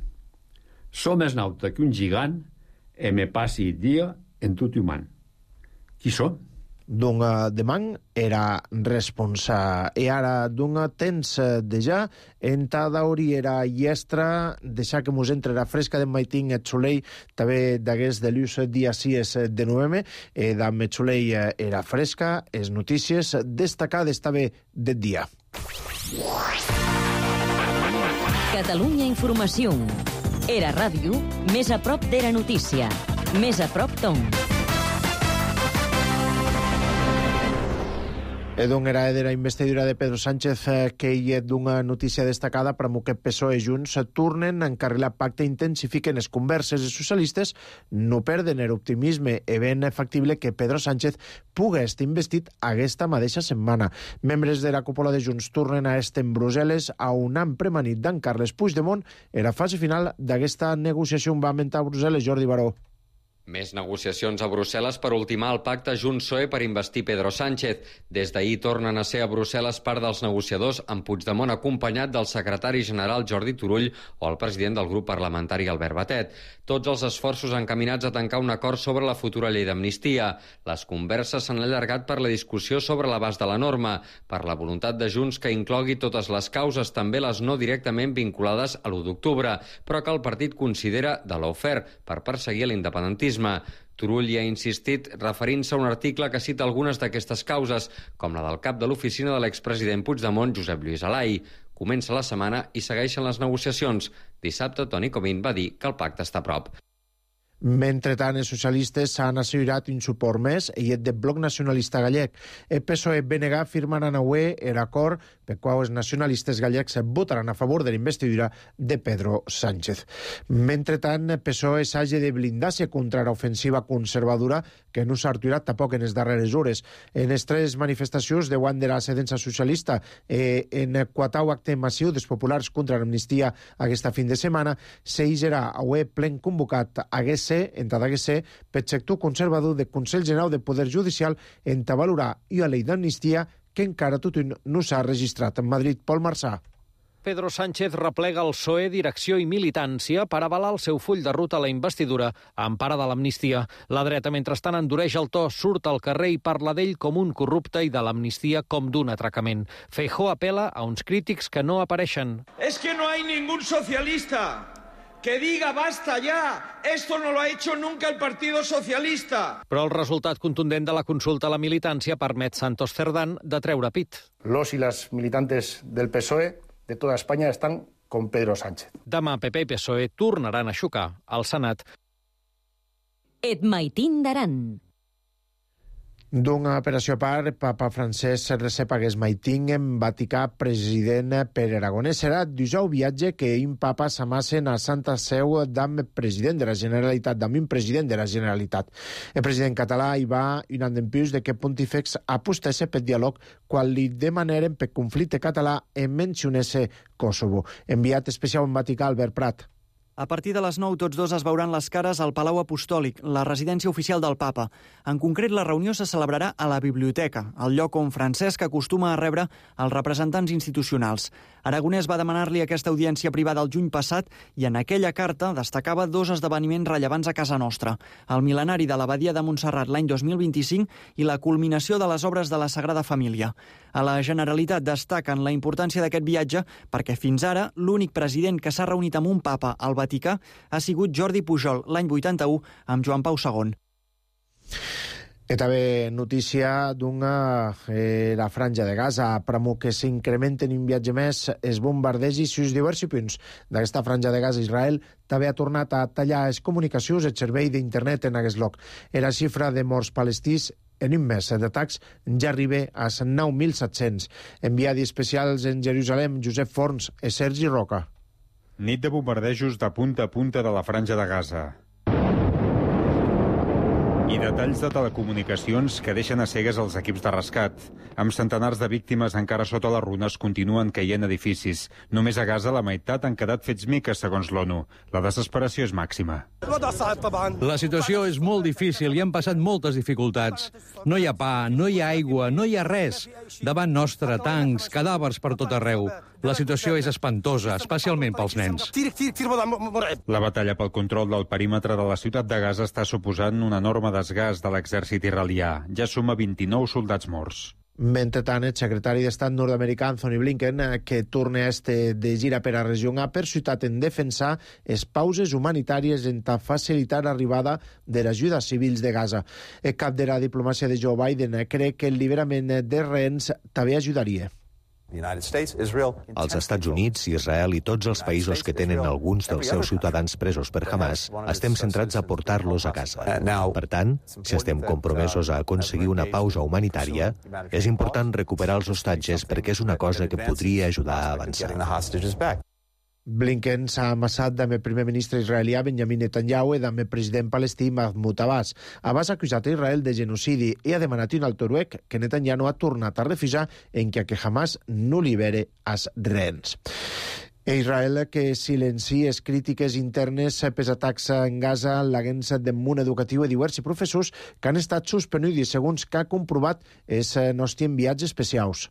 Som més nauta que un gigant e me passi dia en tot human. Qui som? Dunga demang era responsa e ara dunga temps deja entada hori era iestra deixa que mos entre la fresca de maitín et solei també d'aguest de l'ús dia 6 de novembre d'am et solei era fresca es notícies destacades també del dia. Catalunya Informació. Era ràdio més a prop d'era notícia. Més a prop d'on. Edon era de la investidura de Pedro Sánchez que hi d'una notícia destacada per que PSOE i Junts tornen a encarrilar pacte i intensifiquen les converses. Els socialistes no perden l'optimisme e ben factible que Pedro Sánchez pugui estar investit aquesta mateixa setmana. Membres de la cúpula de Junts tornen a estar en Brussel·les a un any premanit d'en Carles Puigdemont en la fase final d'aquesta negociació va mentar a Brussel·les. Jordi Baró. Més negociacions a Brussel·les per ultimar el pacte Junts-PSOE per investir Pedro Sánchez. Des d'ahir tornen a ser a Brussel·les part dels negociadors, amb Puigdemont acompanyat del secretari general Jordi Turull o el president del grup parlamentari Albert Batet. Tots els esforços encaminats a tancar un acord sobre la futura llei d'amnistia. Les converses s'han allargat per la discussió sobre l'abast de la norma, per la voluntat de Junts que inclogui totes les causes, també les no directament vinculades a l'1 d'octubre, però que el partit considera de lawfare per perseguir l'independentisme. Turull hi ha insistit referint-se a un article que cita algunes d'aquestes causes, com la del cap de l'oficina de l'expresident Puigdemont, Josep Lluís Alai. Comença la setmana i segueixen les negociacions. Dissabte, Toni Comín va dir que el pacte està a prop. Mentrestant, els socialistes s'han assegurat un suport més i el del Bloc Nacionalista Gallec. El PSOE i BNG firmaran avui l'acord per qual els nacionalistes gallecs votaran a favor de la investidura de Pedro Sánchez. Mentrestant, el PSOE s'hagi de blindar-se contra l'ofensiva conservadora que no s'ha aturat tampoc en les darreres hores. En les 3 manifestacions de de la sedença socialista en 4 acte massiu dels populars contra l'amnistia aquesta fin de setmana, s'eixerà avui plen convocat hagués ser per sector conservador del Consell General de Poder Judicial en valorar i la llei d'amnistia que encara tot no s'ha registrat en Madrid. Pol Marçà. Pedro Sánchez replega el PSOE, direcció i militància per avalar el seu full de ruta a la investidura a empara de l'amnistia. La dreta, mentrestant, endureix el to, surt al carrer i parla d'ell com un corrupte i de l'amnistia com d'un atracament. Feijóo apela a uns crítics que no apareixen. Es que no hay ningún socialista que diga basta ya, esto no lo ha hecho nunca el Partido Socialista. Però el resultat contundent de la consulta a la militància permet Santos Cerdán de treure pit. Los y las militantes del PSOE de toda España están con Pedro Sánchez. Demà PP i PSOE tornaran a xocar al Senat. Et maitín d'Aran. D'una operació a part, Papa Francesc recep aguest maitín en Vaticà president per Aragonès. Serà dijous viatge que un papa s'amassen a Santa Seu d'am president de la Generalitat, d'am un president de la Generalitat. El president català hi va un any dempius de que Pontífex apostesse per diàleg quan li demanaren per conflicte català en mencionesse Kosovo. Enviat especial en Vaticà, Albert Prat. A partir de les 9, tots dos es veuran les cares al Palau Apostòlic, la residència oficial del papa. En concret, la reunió se celebrarà a la biblioteca, el lloc on Francesc acostuma a rebre els representants institucionals. Aragonès va demanar-li aquesta audiència privada el juny passat i en aquella carta destacava 2 esdeveniments rellevants a casa nostra: el mil·lenari de l'abadia de Montserrat l'any 2025 i la culminació de les obres de la Sagrada Família. A la Generalitat destaquen la importància d'aquest viatge perquè fins ara l'únic president que s'ha reunit amb un papa al Vaticà ha sigut Jordi Pujol l'any 81 amb Joan Pau II. I també notícia d'una la franja de Gaza, premo que s'incrementen un viatge més els bombardejos i els diversos punts d'aquesta franja de Gaza. Israel també ha tornat a tallar les comunicacions, el servei d'internet en aquest lloc. La xifra de morts palestins en un mes d'atacs ja arriba a 9.700. Enviadi especials en Jerusalem, Josep Forns i Sergi Roca. Nit de bombardejos de punta a punta de la franja de Gaza. I detalls de telecomunicacions que deixen a cegues els equips de rescat. Amb centenars de víctimes encara sota les runes continuen caient edificis. Només a Gaza la meitat han quedat fets miques, segons l'ONU. La desesperació és màxima. La situació és molt difícil i han passat moltes dificultats. No hi ha pa, no hi ha aigua, no hi ha res. Davant nostre, tancs, cadàvers per tot arreu. La situació és espantosa, especialment pels nens. La batalla pel control del perímetre de la ciutat de Gaza està suposant un enorme desgast de l'exèrcit israelià. Ja suma 29 soldats morts. Mentrestant, el secretari d'Estat nord-americà Anthony Blinken, que torna de gira per a regió, ha persuadat en defensar les pauses humanitàries en facilitar l'arribada de l'ajuda a civils de Gaza. El cap de la diplomàcia de Joe Biden creu que el liberament de rehens també ajudaria. Els Estats Units, Israel i tots els països que tenen alguns dels seus ciutadans presos per Hamas estem centrats a portar-los a casa. Per tant, si estem compromesos a aconseguir una pausa humanitària, és important recuperar els hostatges perquè és una cosa que podria ajudar a avançar. Blinken s'ha amassat amb el primer ministre israelià Benjamin Netanyahu i amb el president palestí Mahmoud Abbas. Abbas ha acusat a Israel de genocidi i ha demanat un alto noruec que Netanyahu ha tornat a refusar en que Hamas no libere els rehens. Israel, que silencia les crítiques internes pels atacs en Gaza, l'agència del món educatiu i diversos professors que han estat suspenuts, segons que ha comprovat els nostres enviats especials.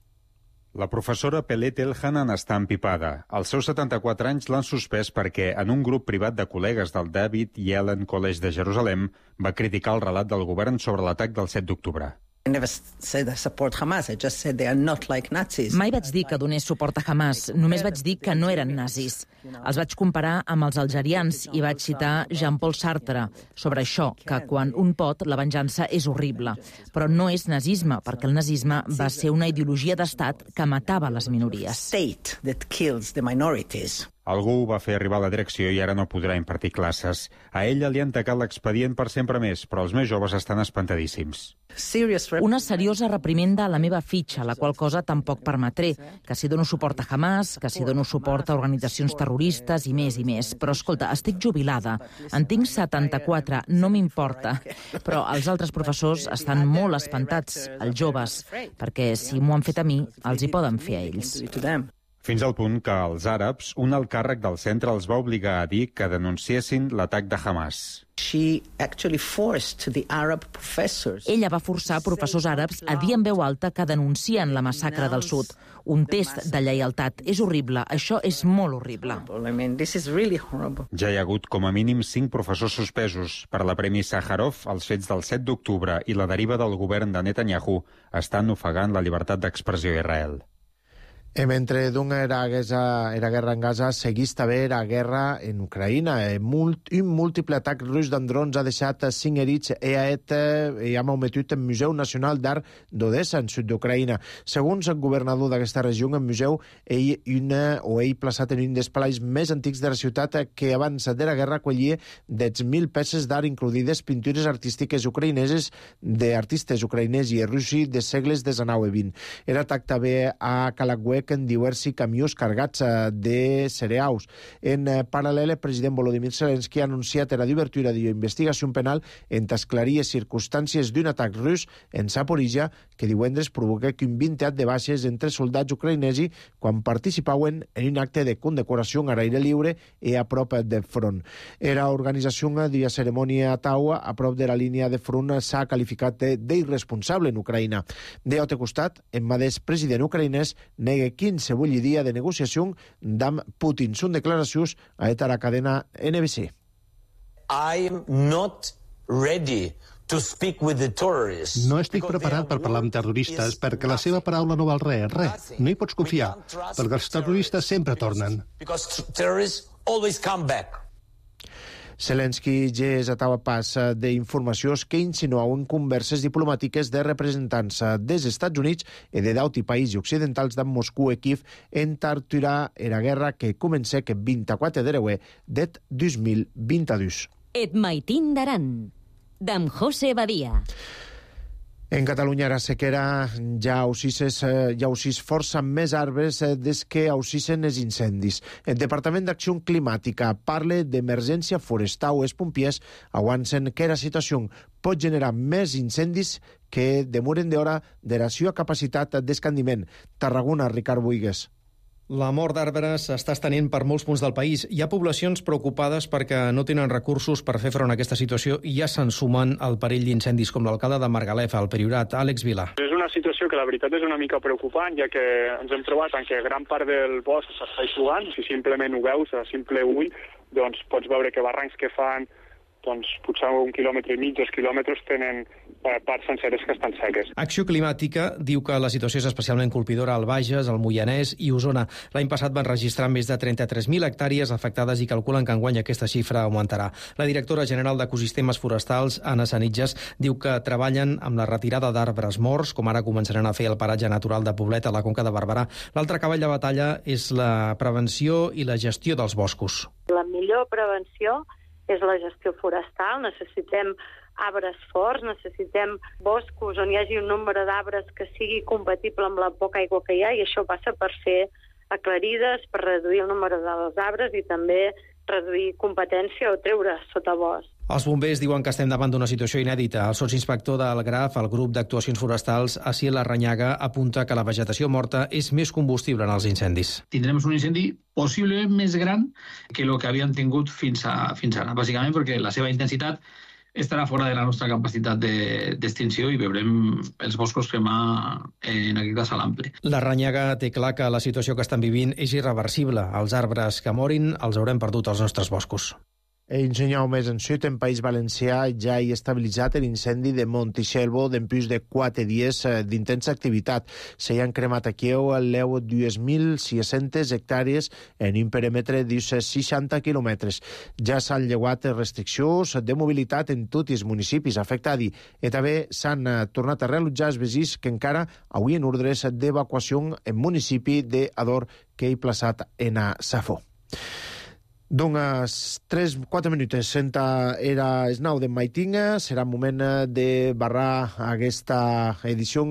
La professora Pelet Elhanan està empipada. Als seus 74 anys l'han suspès perquè en un grup privat de col·legues del David Yellen College de Jerusalem va criticar el relat del govern sobre l'atac del 7 d'octubre. Mai vaig dir que donés suport a Hamas, només vaig dir que no eren nazis. Els vaig comparar amb els algerians i vaig citar Jean-Paul Sartre sobre això, que quan un pot, la venjança és horrible. Però no és nazisme, perquè el nazisme va ser una ideologia d'estat que matava les minories. Algú ho va fer arribar a la direcció i ara no podrà impartir classes. A ella li han tacat l'expedient per sempre més, però els més joves estan espantadíssims. Una seriosa reprimenda a la meva fitxa, la qual cosa tampoc permetré, que si dono suport a Hamas, que si dono suport a organitzacions terroristes i més i més. Però, escolta, estic jubilada, en tinc 74, no m'importa. Però els altres professors estan molt espantats, els joves, perquè si m'ho han fet a mi, els hi poden fer a ells. Fins al punt que els àrabs, un alt càrrec del centre els va obligar a dir que denunciessin l'atac de Hamas. Ella va forçar professors àrabs a dir en veu alta que denuncien la massacre del sud. Un test de lleialtat. És horrible. Això és molt horrible. Ja hi ha hagut com a mínim 5 professors suspesos. Per la Premi Sàjarov, els fets del 7 d'octubre i la deriva del govern de Netanyahu estan ofegant la llibertat d'expressió a Israel. Mentre era guerra en Gaza, segueix també la guerra en Ucraïna. Un múltiple atac rus amb drons ha deixat 5 herits i ha malmetut el Museu Nacional d'Art d'Odessa, en sud d'Ucraïna. Segons el governador d'aquesta regió, el museu ell plaçat en un dels espais més antics de la ciutat, que abans de la guerra acollia 10.000 peces d'art, incluïdes pintures artístiques ucraïneses d'artistes ucraïnesos i russos de segles XIX i XX. Era atac també a Kalagüe, en diversos camions cargats de cereals. En paral·lel, el president Volodymyr Zelensky ha anunciat la d'obertura d'investigació penal en esclarir les circumstàncies d'un atac rus en Zaporizhia que divendres provoca un 20 de baixes entre soldats ucraïnesos quan participaven en un acte de condecoració a l'aire lliure i a prop del front. La organització de la cerimònia a Taua, a prop de la línia de front, s'ha qualificat d'irresponsable en Ucraïna. D'altre costat, el mateix president ucraïnès nega 15 dia de negociació amb Putin. Són declaracions a la cadena NBC. I'm not ready to speak with the terrorists. No estic preparat per parlar amb terroristes perquè la seva paraula no val res. No hi pots confiar, perquè els terroristes sempre tornen. Because terrorists always come back. Zelensky ja és a pas d'informacions que insinuaven converses diplomàtiques de representants dels Estats Units i de d'altres països occidentals de Moscou i Kiev en aturar la guerra que comença el 24 de febrer de 2022. Et maitin d'aran, d'en José Badia. En Catalunya la sequera ja aussis força més arbres des que aussissen els incendis. El Departament d'Acció Climàtica parla d'emergència forestal. Els pompiers avançen que la situació pot generar més incendis que demoren d'hora de la seva capacitat d'escandiment. Tarragona, Ricard Buigues. La mort d'arbres s'està estenent per molts punts del país. Hi ha poblacions preocupades perquè no tenen recursos per fer front a aquesta situació i ja se'n sumen al perill d'incendis, com l'alcalde de Margalef, al Priorat, Àlex Vilà. És una situació que la veritat és una mica preocupant, ja que ens hem trobat en què gran part del bosc s'està eixugant. Si simplement ho veus a simple ull, doncs pots veure que barrancs que fan potser 1,5 quilòmetres, 2 quilòmetres, tenen parts senceres que estan seques. Acció Climàtica diu que la situació és especialment colpidora al Bages, al Moianès i Osona. L'any passat van registrar més de 33.000 hectàrees afectades i calculen que enguany aquesta xifra augmentarà. La directora general d'Ecosistemes Forestals, Anna Sanitges, diu que treballen amb la retirada d'arbres morts, com ara començaran a fer el paratge natural de Poblet a la Conca de Barberà. L'altre cavall de batalla és la prevenció i la gestió dels boscos. La millor prevenció és la gestió forestal. Necessitem arbres forts, necessitem boscos on hi hagi un nombre d'arbres que sigui compatible amb la poca aigua que hi ha, i això passa per fer aclarides, per reduir el número dels arbres i també reduir competència o treure sotabosc. Els bombers diuen que estem davant d'una situació inèdita. El sotsinspector del GRAF, el grup d'actuacions forestals, Asiel Larrañaga, apunta que la vegetació morta és més combustible en els incendis. Tindrem un incendi possiblement més gran que el que havien tingut fins ara, bàsicament perquè la seva intensitat estarà fora de la nostra capacitat d'extinció i veurem els boscos cremar en aquest cas a l'ample. Larrañaga té clar que la situació que estan vivint és irreversible. Els arbres que morin els haurem perdut als nostres boscos. Ensenyau més en Sud, en País Valencià, ja hi ha estabilitzat l'incendi de Montixelvo d'empús de 4 dies d'intensa activitat. Se hi han cremat aquí al leu 2.600 hectàrees en un perímetre de 60 quilòmetres. Ja s'han llevat restriccions de mobilitat en tots els municipis afectats i també s'han tornat a reallotjar els veïns que encara avui en ordres d'evacuació en municipi d'Ador que hi plaçat en a Safo. Doncs 3-4 minuts era el 9 de maitinga, serà moment de barrar aquesta edició,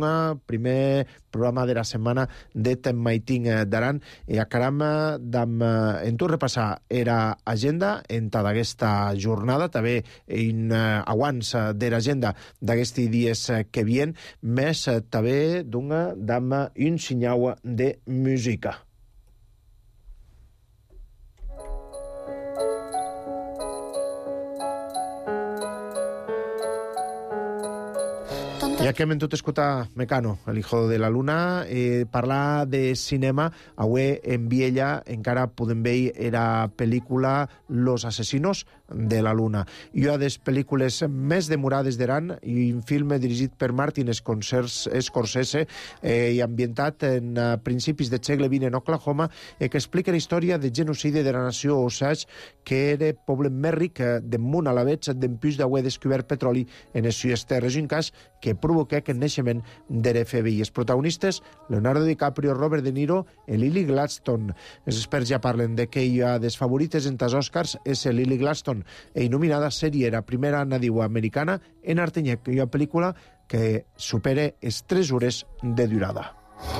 primer programa de la setmana de Maiting d'Aran, i acaram en tot repassar era agenda en tota aquesta jornada, també en abans de l'agenda d'aquests dies que vien, més també d'un senyal de música. Ja que hem tot escoltat Mecano, el hijo de la luna, parlar de cinema, avui en Viella encara podem veure la pel·lícula Los asesinos de la luna. I una de les pel·lícules més demorades d'Iran, i un film dirigit per Martin Scorsese i ambientat en principis del segle XX en Oklahoma, que explica la història del genocidi de la nació Osage, que era el poble més ric del món a la vegada d'empús d'haver descobert petroli en les seues terres, un cas que provoca el naixement de l'FBI. Els protagonistes, Leonardo DiCaprio, Robert De Niro i Lily Gladstone. Els experts ja parlen de que hi ha des favorites entre els Oscars és Lily Gladstone, i nominada sèrie la primera nadiua americana en artenyec, i una pel·lícula que supera les 3 hores de durada.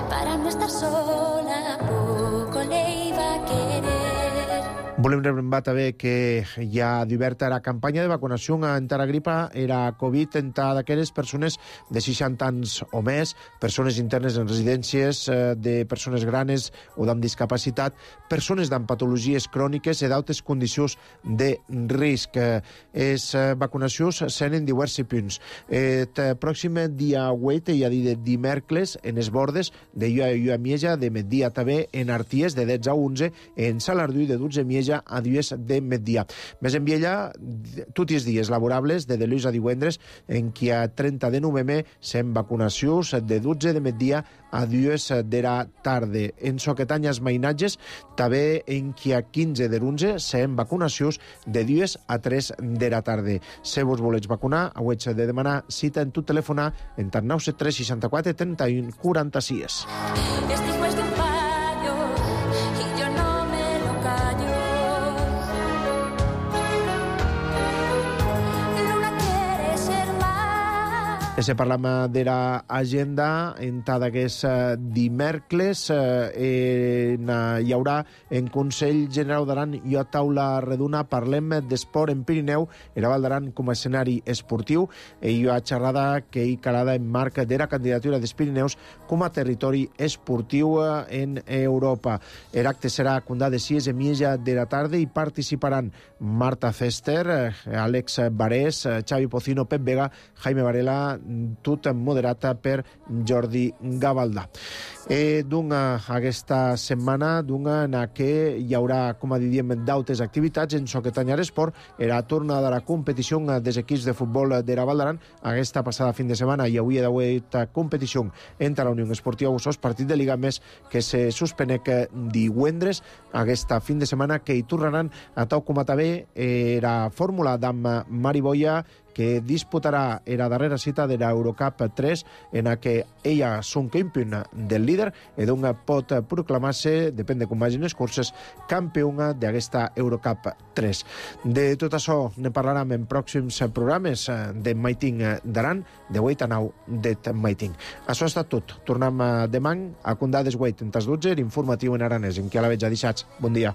Para no estar sola, poco le iba a querer. Volem recordar també que hi ha d'oberta la campanya de vacunació contra la gripa i la Covid entre d'aquelles persones de 60 anys o més, persones internes en residències de persones granes o amb discapacitat, persones amb patologies cròniques i d'altres condicions de risc. Les vacunacions són en diversos punts. El pròxim dia 8, ja dit dimèrcoles, en els bordes de Llua Mieja, de migdia també en Arties, de 10 a 11, en Salardú, de 12 a Mieja a 10 de migdia. Més en Viella, tots els dies laborables, de dilluns a divendres, en què a 30 de novembre s'han vacunacions de 12 de migdia a 10 de la tarda. En Soquetanyes Mainatges, també en què a 15 de l'11 s'han vacunacions de 10 a 3 de la tarda. Si vos voleu vacunar, heu de demanar cita en tot telefonar en 973 64 31 46. Se parlam d'era agenda en tant d'aquest dimèrcles hi haurà en Consell General d'Aran i a taula redona parlem d'esport en Pirineu, era Val d'Aran com a escenari esportiu i hi ha xerrada que hi calada en marc d'era candidatura dels Pirineus com a territori esportiu en Europa. L'acte serà a Condà de 6:30 de la tarda i participaran Marta Fester, Àlex Barés, Xavi Pocino, Pep Vega, Jaime Varela, tot moderat per Jordi Gavaldà. Aquesta setmana en què hi haurà, com a diríem, d'altres activitats en so que tanyar esport, era tornada a la competició dels equips de futbol de la Val d'Aran. Aquesta passada fin de setmana hi hauria d'haver competició entre la Unió Esportiva Ossos, partit de Liga més que se suspenec divendres. Aquesta fin de setmana que hi tornaran a tal com a també era fórmula d'amb Mari Boia, que disputarà la darrera cita de l'Eurocup 3 en la que ella són campion del líder i doncs pot proclamar-se, depèn de com vagin les curses, campiona d'aquesta Eurocup 3. De tot això ne parlarem en pròxims programes de Maiting d'Aran, de 8 a 9 de Maiting. Això ha estat tot. Tornem demà a Condà des 8 en tas 12, informatiu en aranès, en què a la veig a dissats. Bon dia.